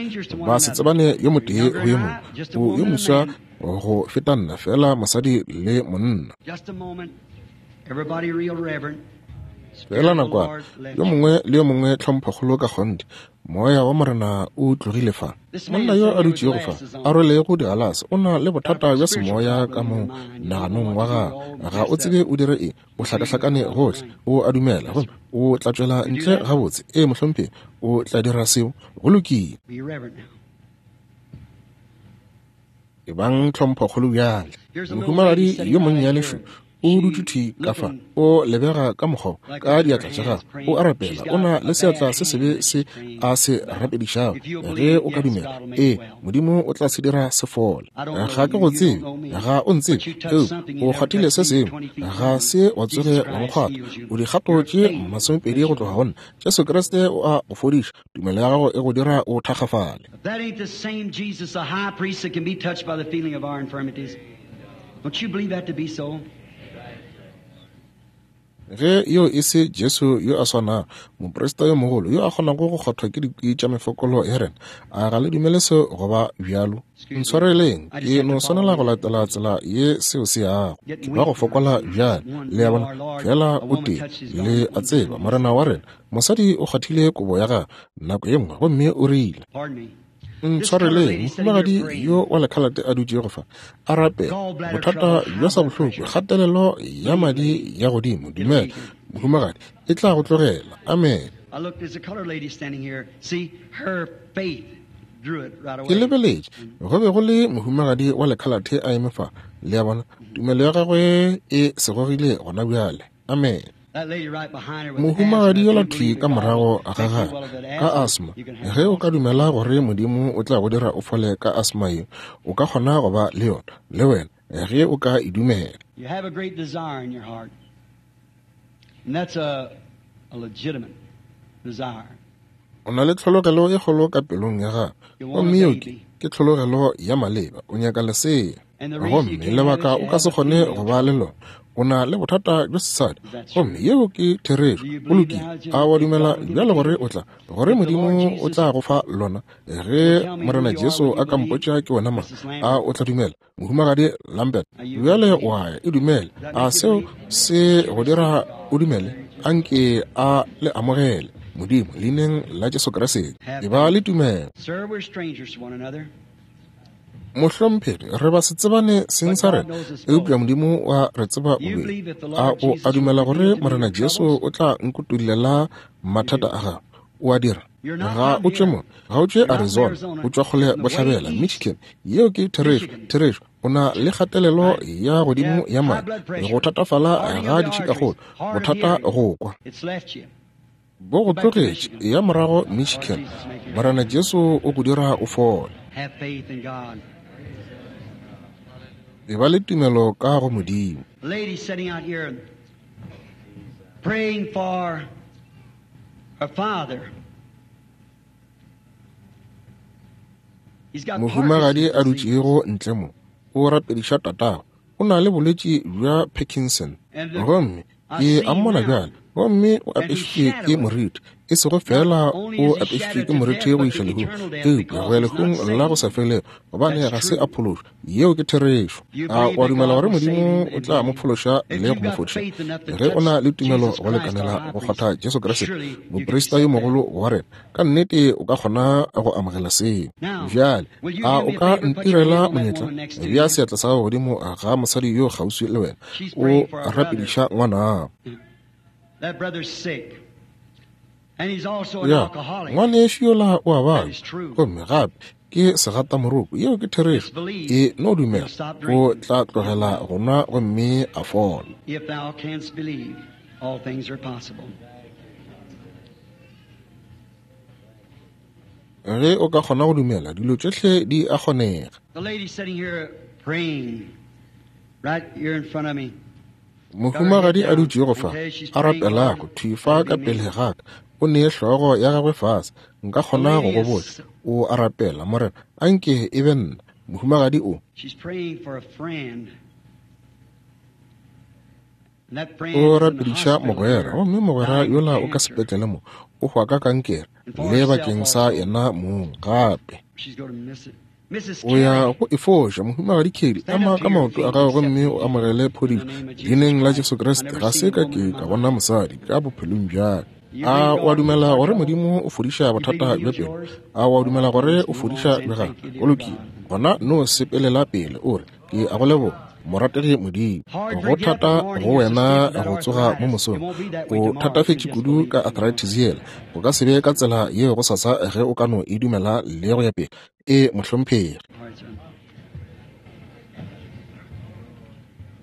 Ba se tsebane yo motee go yo mongwe. O yo moswa go feta nna, fela mosadi le monna. Fela nakwana, yo mongwe le yo mongwe tlhomphokgolo ka kgonthe. Moya wa Morena o tlogile fa. Monna yo a dutšego fa, a rwelego digalase, o na le bothata bja semoya ka mo naganong wa gagwe. Ga o tsebe o dire eng, o hlakahlakane gohle. O a dumela gomme o tla tšwela ntle gabotse. Ee, mohlomphegi, o tla dira seo. Go lokile. Ebang tlhomphokgolo bjale. Mohumagadi yo monnyane šo o dutše thwi ka fa, o lebega ka mokgwa ka diatla tša gagwe, o a rapela, o na le seatla se sebe se a se rapedišago. Ge o ka dumela, ee, Modimo o tla se dira se fole. Ga ke go tsebe, ga o ntsebe, eupša o kgwathile se sengwe, ga se wa tsoge wa nkgwatha. O dikgato tše 20 go tloga go nna. Jesu Kriste o a go fodiša. Tumelo ya gago e go dira o thakgafale. If that ain't the same Jesus, the high priest that can be touched by the feeling of our infirmities, don't you believe that to be so? Ge yo e se Jesu yo a swanago, moprista yo mogolo yo a kgonago go kgwathwa ke dikwi tša mefokolo ya rena, a ga le dumele seo go ba bjalo? Ntshwareleng, ke no swanela go latela tsela ye seo se yago. Ke ba go fokola bjale, le a bona, fela o tee, le a tseba, Morena wa rena. Mosadi o kgwathile kobo ya gagwe nako ye nngwe gomme o rile, Ntshwareleng, mohumagadi yo wa lekhalate a dutšego fa, a rapela, bothata bja sa bohloko, kgatelelo ya madi ya godimo. Dumela, mohumagadi, e tla go tlogela. Amen. Ke lebeletše, go be go le mohumagadi wa lekhalate a eme fa, le a bona, tumelo ya gagwe e segogile gona bjale. Amen. Mohumagadi yola thwi ka morago ga gagwe ka asma, ge o ka dumela gore Modimo o tla go dira o fole ka asma yeo, o ka kgona go ba le yona le wena ge o ka e dumela. You have a great desire in your heart, and that's a legitimate desire. O na le tlhologelo e kgolo ka pelong ya gago, gomme yeo ke tlhologelo ya maleba. O nyaka lesea, gomme lebaka o ka se kgone go ba le lona, o na le bothata bja sesadi, gomme yeo ke therešo. Go lokile. A wa dumela bjale gore o tla, gore Modimo o tla go fa lona? Ge Morena Jesu a ka mpotša ke wena mang, a o tla dumela? Mohumagadi Lambert, bjale wa ya, e dumele. A seo se go dira o dumele? Anke a le amogele, Modimo, leineng la Jesu Kriste. E ba le tumelo. Sir, we're strangers to one another. Mohlomphegi, re ba se tsebane seng sa rena, eupša Modimo wa re tseba bobedi. A o a dumela gore Morena Jesu o tla nkutullela mathata a gago? O a dira? Ga o tšwe mo, ga o tšwe Arizona, o tšwa kgole bohlabela, Michigan. Yeo ke therešo, therešo. O na le kgatelelo ya godimo ya madi, go thatafala ga ditšhikakgolo, bothata go kwa. Bo go tlogetše, ya morago Michigan. Morena Jesu o go dira o fole. Have faith in God. E ba le tumelo ka go Modimo. Lady sitting out here praying for her father. He's got Mohumagadi a Parkinson's disease. dutšego ntle mo, o rapediša tatago. O na le bolwetši bja Parkinson. Gomme ke a mmona bjale, gomme o apešitšwe ke moriti, e sego fela o apešitšwe ke moriti go iša lehung, eupša go ya lehung la go sa felego, gobane ga se a phološwa. Yeo ke therešo. A o a dumela gore Modimo o tla mo phološa le go mo fodiša? Ge o na le tumelo go lekanela go kgwatha Jesu Kriste, moprista yo mogolo wa rena, ka nnete o ka kgona go amogela seo. Bjale, a o ka ntirela monyetla? Bea seatla sa gago godimo ga mosadi yo kgauswi le wena, o rapediša ngwanago. That brother's sick. And he's also an Ya, alcoholic. ngwanešu yola o a babja, gomme gape ke segatamoroko. Yeo ke therešo. E no dumela, o tla tlogela go nwa gomme a fola. If thou canst believe, all things are possible. Ge o ka kgona go dumela, dilo tšohle di a kgonega. Mohumagadi a dutšego fa, a rapelago, thwi fa ka pele ga ka, o nee hlogo ya gagwe fase. Nka kgona go go botša, o a rapela, Morena, a nke e be nna. Mohumagadi o. O rapediša mogwera, gomme mogwera yola o ka sepetlele mo, o hwa ka kankere, le bakeng sa yena mong gape. O ya go e foša. Mohumagadi Kelly, ema ka maoto a gago gomme o amogele phodišo leineng la Jesu Kriste. Ga se ka ke ka bona mosadi ka bophelong bja ka. A o a dumela gore Modimo o fodiša bothata bja pelo? A o a dumela gore o fodiša bja gago? Go lokile, gona no sepelela pele o re, Ke a go leboga, morategi Modimo. Go thata go wena go tsoga mo mosong. O thatafetše kudu ka arthritis yela. Go ka se be ka tsela yeo gosasa ge o ka no e dumela le go ya pele. Ee, mohlomphegi.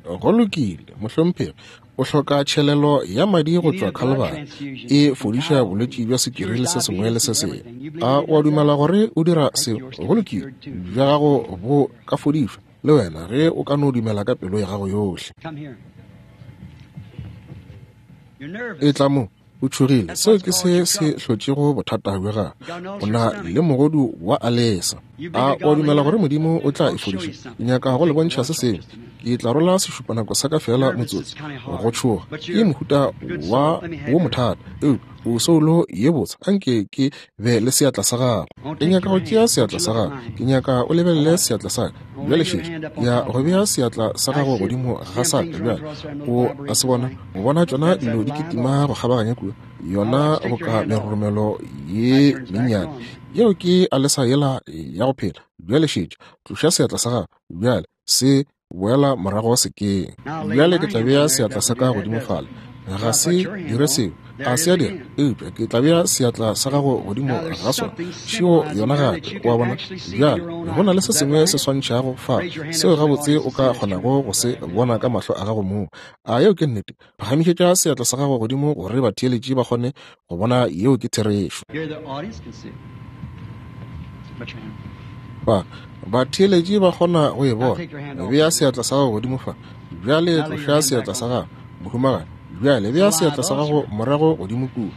Go lokile, mohlomphegi. O hloka tšhelelo ya madi go tšwa Calvary. E fodiša bolwetši bja sukiri le se sengwe le se sengwe. A o a dumela gore o dira seo? Go lokile, bja gago bo ka fodišwa le wena ge o ka no dumela ka pelo ya gago yohle. Etla mo. O tšhogile. Seo ke se se hlotšego bothata bja gago. O na le mogodu wa alesa. A o a dumela gore Modimo o tla e fodiša? Ke nyaka go le bontšha se sengwe. Ke tla rola sešupanako sa ka feela motsotso. Go tšhoga ke mohuta wa wo mothata, eupša o soulo ye botse. Anke ke be le seatla sa gago. Ke nyaka go tšea seatla sa gago. Ke nyaka o lebelele seatla sa ka. Bjale šetša. Ke ya go bea seatla sa gago godimo ga sa ka bjale. O a se bona? O bona tšona dilo di kitima go kgabaganya kua, yona boka meroromelo ye mennyane. Yeo ke alesa yela ya go phela. Bjale šetša. Tloša seatla sa gago bjale, se boela morago sekeng. Bjale ke tla bea seatla sa ka godimo fale. Ga se dire seo. Ga se a dira. Eupša ke tla bea seatla sa gago godimo ga sona. Šeo yona gape. O a bona? Bjale, go na le se sengwe se swantšhago fa, seo gabotse o ka kgonago go se bona ka mahlo a gago mong. A yeo ke nnete? Phagamišetša seatla sa gago godimo gore batheeletši ba kgone go bona yeo ke therešo. Ba, batheeletši ba kgona go e bona. Bea seatla sa gago godimo fa. Bjale tloša seatla sa gago, mohumagadi. Bjale bea seatla sa gago morago godimo kua.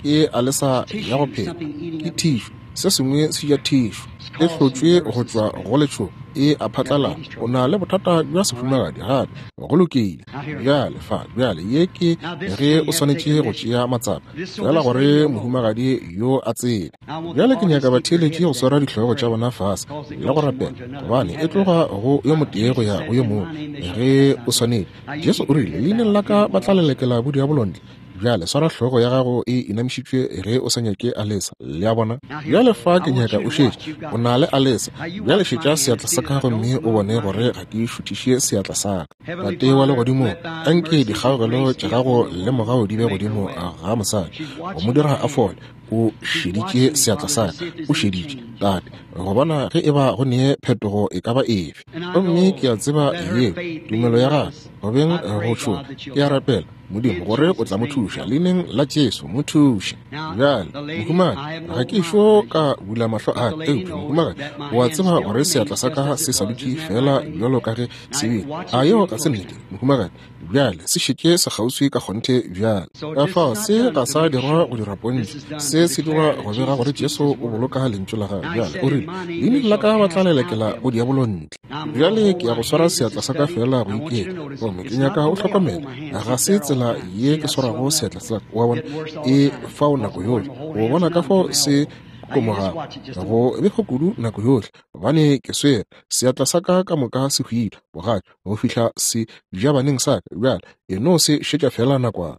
Ke alesa ya go phela. Ke thišu. Se sengwe se ja thišu. E hlotšwe go tšwa go letšhogo. E a phatlalala. O na le bothata bja sefumagadi gape. Go lokile. Bjale fa, bjale ye ke ge o swanetše go tšea matsapa, feela gore mohumagadi yo a tsebe. Bjale ke nyaka batheeletši go swara dihlogo tša bona fase le go rapela, gobane e tloga go yo motee go ya go yo mongwe ge o swanetše. Jesu o rile, Leineng la ka ba tla lelekela bodiabolo ntle. Bjale swara hlogo ya gago e inamišitšwe ge o sa nyake alesa. Le a bona? Bjale fa ke nyaka o šetše. O na le alesa. Bjale šetša seatla sa ka gomme o bone gore ga ke šuthiše seatla sa ka. Tate wa Legodimong, anke dikgaogelo tša gago le mogau di be godimo ga mosadi, go mo dira a fole. O šeditše seatla sa ka. O šeditše, Tate, go bona ge eba go ne phetogo e ka ba efe. Gomme ke a tseba yeo tumelo ya gagwe, go beng go tšhoga, ke a rapela, Modimo, gore o tla mo thuša. Leineng la Jesu, mo thuše. Bjale, mohumagadi, ga ke ešo ka bula mahlo a ka, eupša, mohumagadi, o a tseba gore seatla sa ka se sa dutše feela bjalo ka ge se bile. A yeo ga se nnete, mohumagadi? Bjale, se šetše sekgauswi ka kgonthe bjale. Ka fao, se ga sa dirwa go dira pontšho. Se se dirwa go bega gore Jesu o boloka Lentšu la Gagwe. Bjale, o rile, Leineng la ka ba tla lelekela bodiabolo ntle. Bjale ke ya go swara seatla sa ka feela go iketla, gomme ke nyaka o hlokomela. Ga se tsela ye ke swarago seatla sa ka, wa bona, e fao nako yohle. O bona ka fao se komogago, go befa kudu nako yohle, gobane ke swere seatla sa ka ka moka se hwile bogadi go fihla se jabaneng sa ka. Bjale e no se šetša feela nakwana.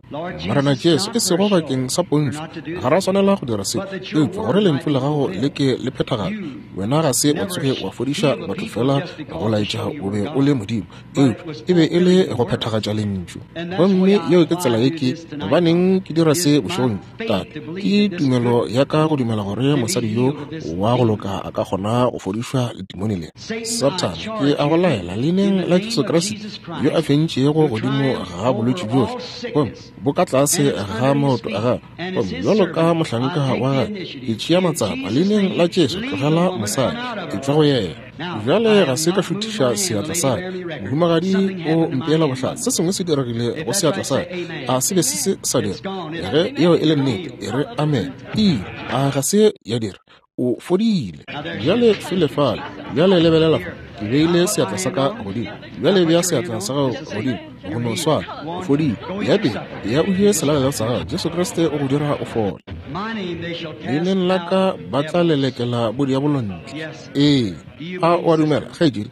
Morena Jesu, e sego bakeng sa pontšho, ga ra swanela go dira se, eupša gore Lentšu la Gago le ke le phethagale. Wena ga se wa tsoge wa fodiša batho feela go laetša o be o le Modimo, eupša e be e le go phethagatša Lentšu. Gomme yeo ke tsela ye ke, gobaneng ke dira se bošegong, Tate, ke tumelo ya ka go dumela gore mosadi yo wa go loka a ka kgona go fodišwa letimone le. Sathane, ke a go laela leineng la Jesu Kriste yo a fentšego godimo ga bolwetši bjohle, gomme bo ka tlase ga maoto a gagwe, gomme bjalo ka mohlanka wa gagwe ke tšea matsapa leineng la Jesu, tlogela mosadi, etšwa go yena. Bjale ga se ka šuthiša seatla sa ka. Mohumagadi o mpeela bohlatse. Se sengwe se diregile go seatla sa ka. A se be se se sa dira? Ge yeo e le nnete, e re amen. Ile. A ga se ya dira? O fodile. Bjale fele fale. Bjale lebelela fa. Ke beile seatla sa ka godimo. Bjale bea seatla sa gago godimo. Go no swana. O fodile. Ya pele, ya o je selalelo sa gago. Jesu Kriste o go dira o fole. Leineng la ka ba tla lelekela bodiabolo ntle. Ee. A o a dumela, kgaetšedi?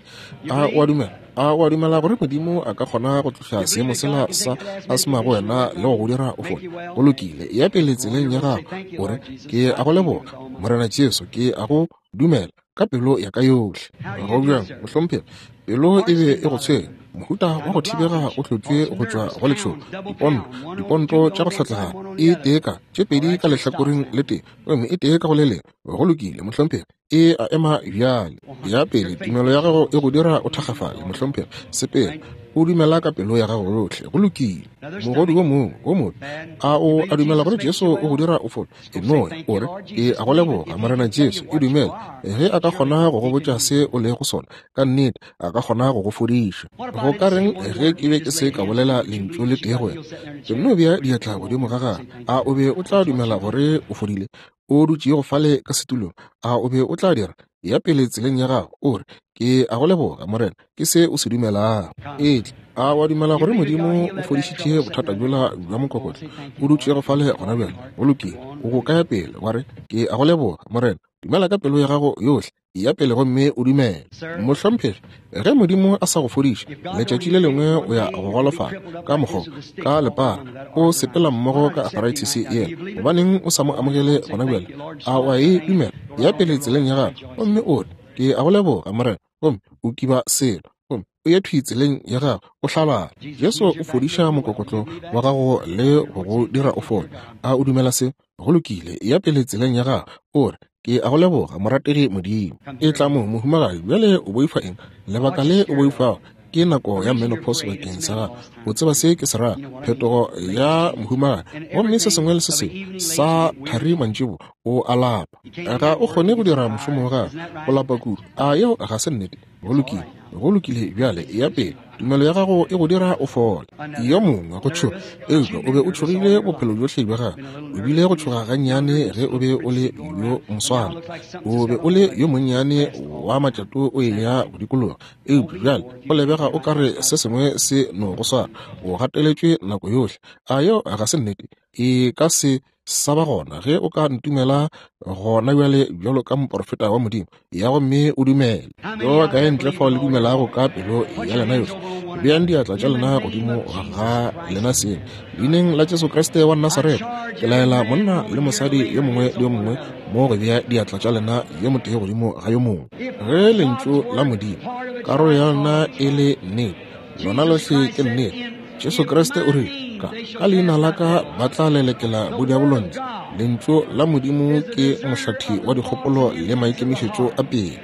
A o a dumela? A o a dumela gore Modimo a ka kgona go tloša seemo sela sa asma go wena le go go dira o fole? Go lokile. Ya pele tseleng ya gago, o re, Ke a go leboga, Morena Jesu. Ke a go dumela ka pelo ya ka yohle. Go bjang, mohlomphegi? Pelo e be e go tshwenya. Mohuta wa go thibega o hlotšwe go tšwa go letšhogo, diponto, diponto tša go hlatlagana, e tee ka tše pedi ka lehlakoreng le tee, gomme e tee ka go le lengwe. Go lokile, mohlomphegi. E a ema bjale. Ya pele, tumelo ya gago e go dira o thakgafale, mohlomphegi. Sepela, o dumela ka pelo ya gago yohle. Go lokile. Mogodu wo mongwe wo mobe, a o a dumela gore Jesu o go dira o fole? E no ya, o re, Ke a go leboga, Morena Jesu. E dumele. Ge a ka kgona go go botša se o lego sona, ka nnete a ka kgona go go fodiša. Go ka reng ge ke be ke se ka bolela lentšu le tee go wena? Ke nno bea diatla godimo ga gagwe. A o be o tla dumela gore o fodile? O dutšego fale ka setulong, a o be o tla dira? Ya pele tseleng ya gago, o re, Ke a go leboga, Morena, ke se o se dumelago. Etla. A wa dumela gore Modimo o fodišitše bothata bjola bja mokokotlo? O dutšego fale gona bjale. Go lokile. O go kaya pele, wa re, Ke a go leboga, Morena. Dumela ka pelo ya gago yohle. Eya pele gomme o dumele. Mohlomphegi, ge Modimo a sa go fodiša, letšatši le lengwe o ya go golofala ka mokgwa ka lepara, o sepela mmogo ka arthritis yela. Gobaneng o sa mo amogele gona bjale? A o a e dumela? Eya pele tseleng ya gago gomme o re, Ke a go leboga, Morena, gomme o kiba selo. Gomme o ye thwi tseleng ya gago, o hlabala. Jesu o fodiša mokokotlo wa gago le go go dira o fole. A o dumela se? Go lokile, eya pele tseleng ya gago, o re, Ke a go leboga, morategi Modimo. Etla mo, mohumagadi. Bjale o boifa eng? Lebaka le o boifago ke nako ya menopause bakeng sa gago. O tseba se ke se rago, phetogo ya mohumagadi. Gomme se sengwe le se sengwe sa thari mantšibo, o a lapa. Ga o kgone go dira mošomo wa gago, o lapa kudu. A yeo ga se nnete? Go lokile, go lokile bjale, eya pele. Tumelo ya gago e go dira o fole. Yo mongwe go tšhoga, eupša o be o tšhogile bophelo bjohle bja gago. O bile go tšhoga gannyane ge o be o le yo moswana. O be o le yo monnyane wa matšato o eya go dikologa, eupša bjale go lebega o ka re se sengwe se no go swara. O gateletšwe nako yohle. A yeo ga se nnete? E ka se sa ba gona ge o ka ntumela gona bjale bjalo ka moporofeta wa Modimo, ya gomme o dumele. Yo ba kae ntle fao le dumelago ka pelo ya lena yohle? Beang diatla tša lena godimo ga lena seng. Leineng la Jesu Kriste wa Nasaretha, ke laela monna le mosadi yo mongwe le yo mongwe mo go bea diatla tša lena yo motee godimo ga yo mongwe. Ge lentšu la Modimo, karolo ya lona e le nnete, lona lohle ke nnete. Jesu Kriste o rile, ka, ka leina la ka ba tla lelekela bodiabolo ntle. Lentšu la Modimo ke mohlathi wa dikgopolo le maikemišetšo a pele.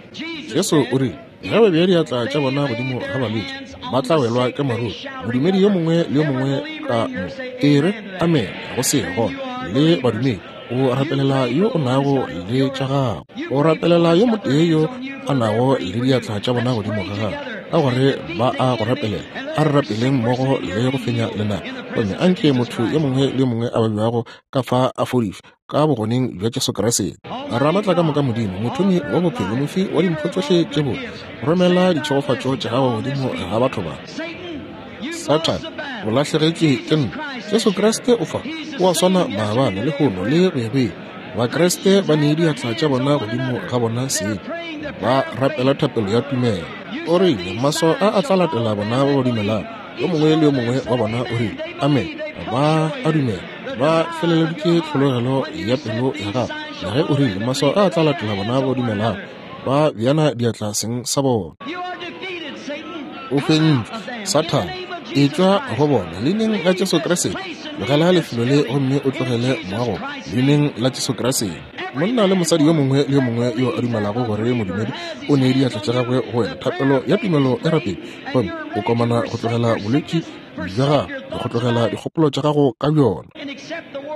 Jesu o rile, ge ba bea diatla tša bona godimo ga balwetši, ba tla welwa ke maruru. Modumedi yo mongwe le yo mongwe ka mo e re amen go se gona le badumedi. O rapelela yo o nago le tša gago. O rapelela yo motee yo a nago le diatla tša bona godimo ga gago, ka gore ba a go rapelela. A re rapeleng mmogo le go fenya lenaba, gomme anke motho yo mongwe le yo mongwe a babjago ka fa a fodišwe ka bogoneng bja Jesu Kriste. Ramatlakamoka Modimo, Mothomi wa bophelo, Mofi wa dimpho tšohle tše botse, romela ditšhegofatšo tša gago godimo ga batho ba. Sathane, o lahlegetšwe ke nna. Jesu Kriste o fa, o a swana maabane, lehono, le go ya go ile. Bakriste ba nee diatla tša bona godimo ga bona seng, ba rapela thapelo ya tumelo. O rile, Maswao a a tla latela bona ba ba dumelago. Yo mongwe le yo mongwe wa bona o rile, Amen. Ba a dumela. Ba feleleditše tlhologelo ya pelo ya gago. Le ge o rile, Maswao a a tla latela bona ba ba dumelago, ba beana diatla seng sa bona. O fentšwe, Sathane. Etšwa go bona, Leineng la Jesu Kriste. Tlogela lefelo le gomme o tlogele moago, Leineng la Jesu Kriste. Monna le mosadi yo mongwe le yo mongwe yo a dumelago gore modumedi o ne diatla tša gagwe go wena, thapelo ya tumelo e rapedi, gomme o komana go tlogela bolwetši bja gago le go tlogela dikgopolo tša gago ka bjona,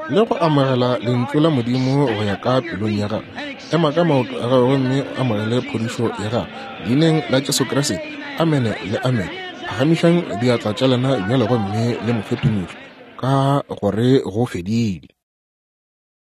le go amogela Lentšu la Modimo go ya ka pelong ya gago. Ema ka maoto a gago gomme o amogele phodišo ya gago Leineng la Jesu Kriste. Amene le amene. Phagamišang diatla tša lena bjale gomme le mo fe tumišo, ka gore go fedile.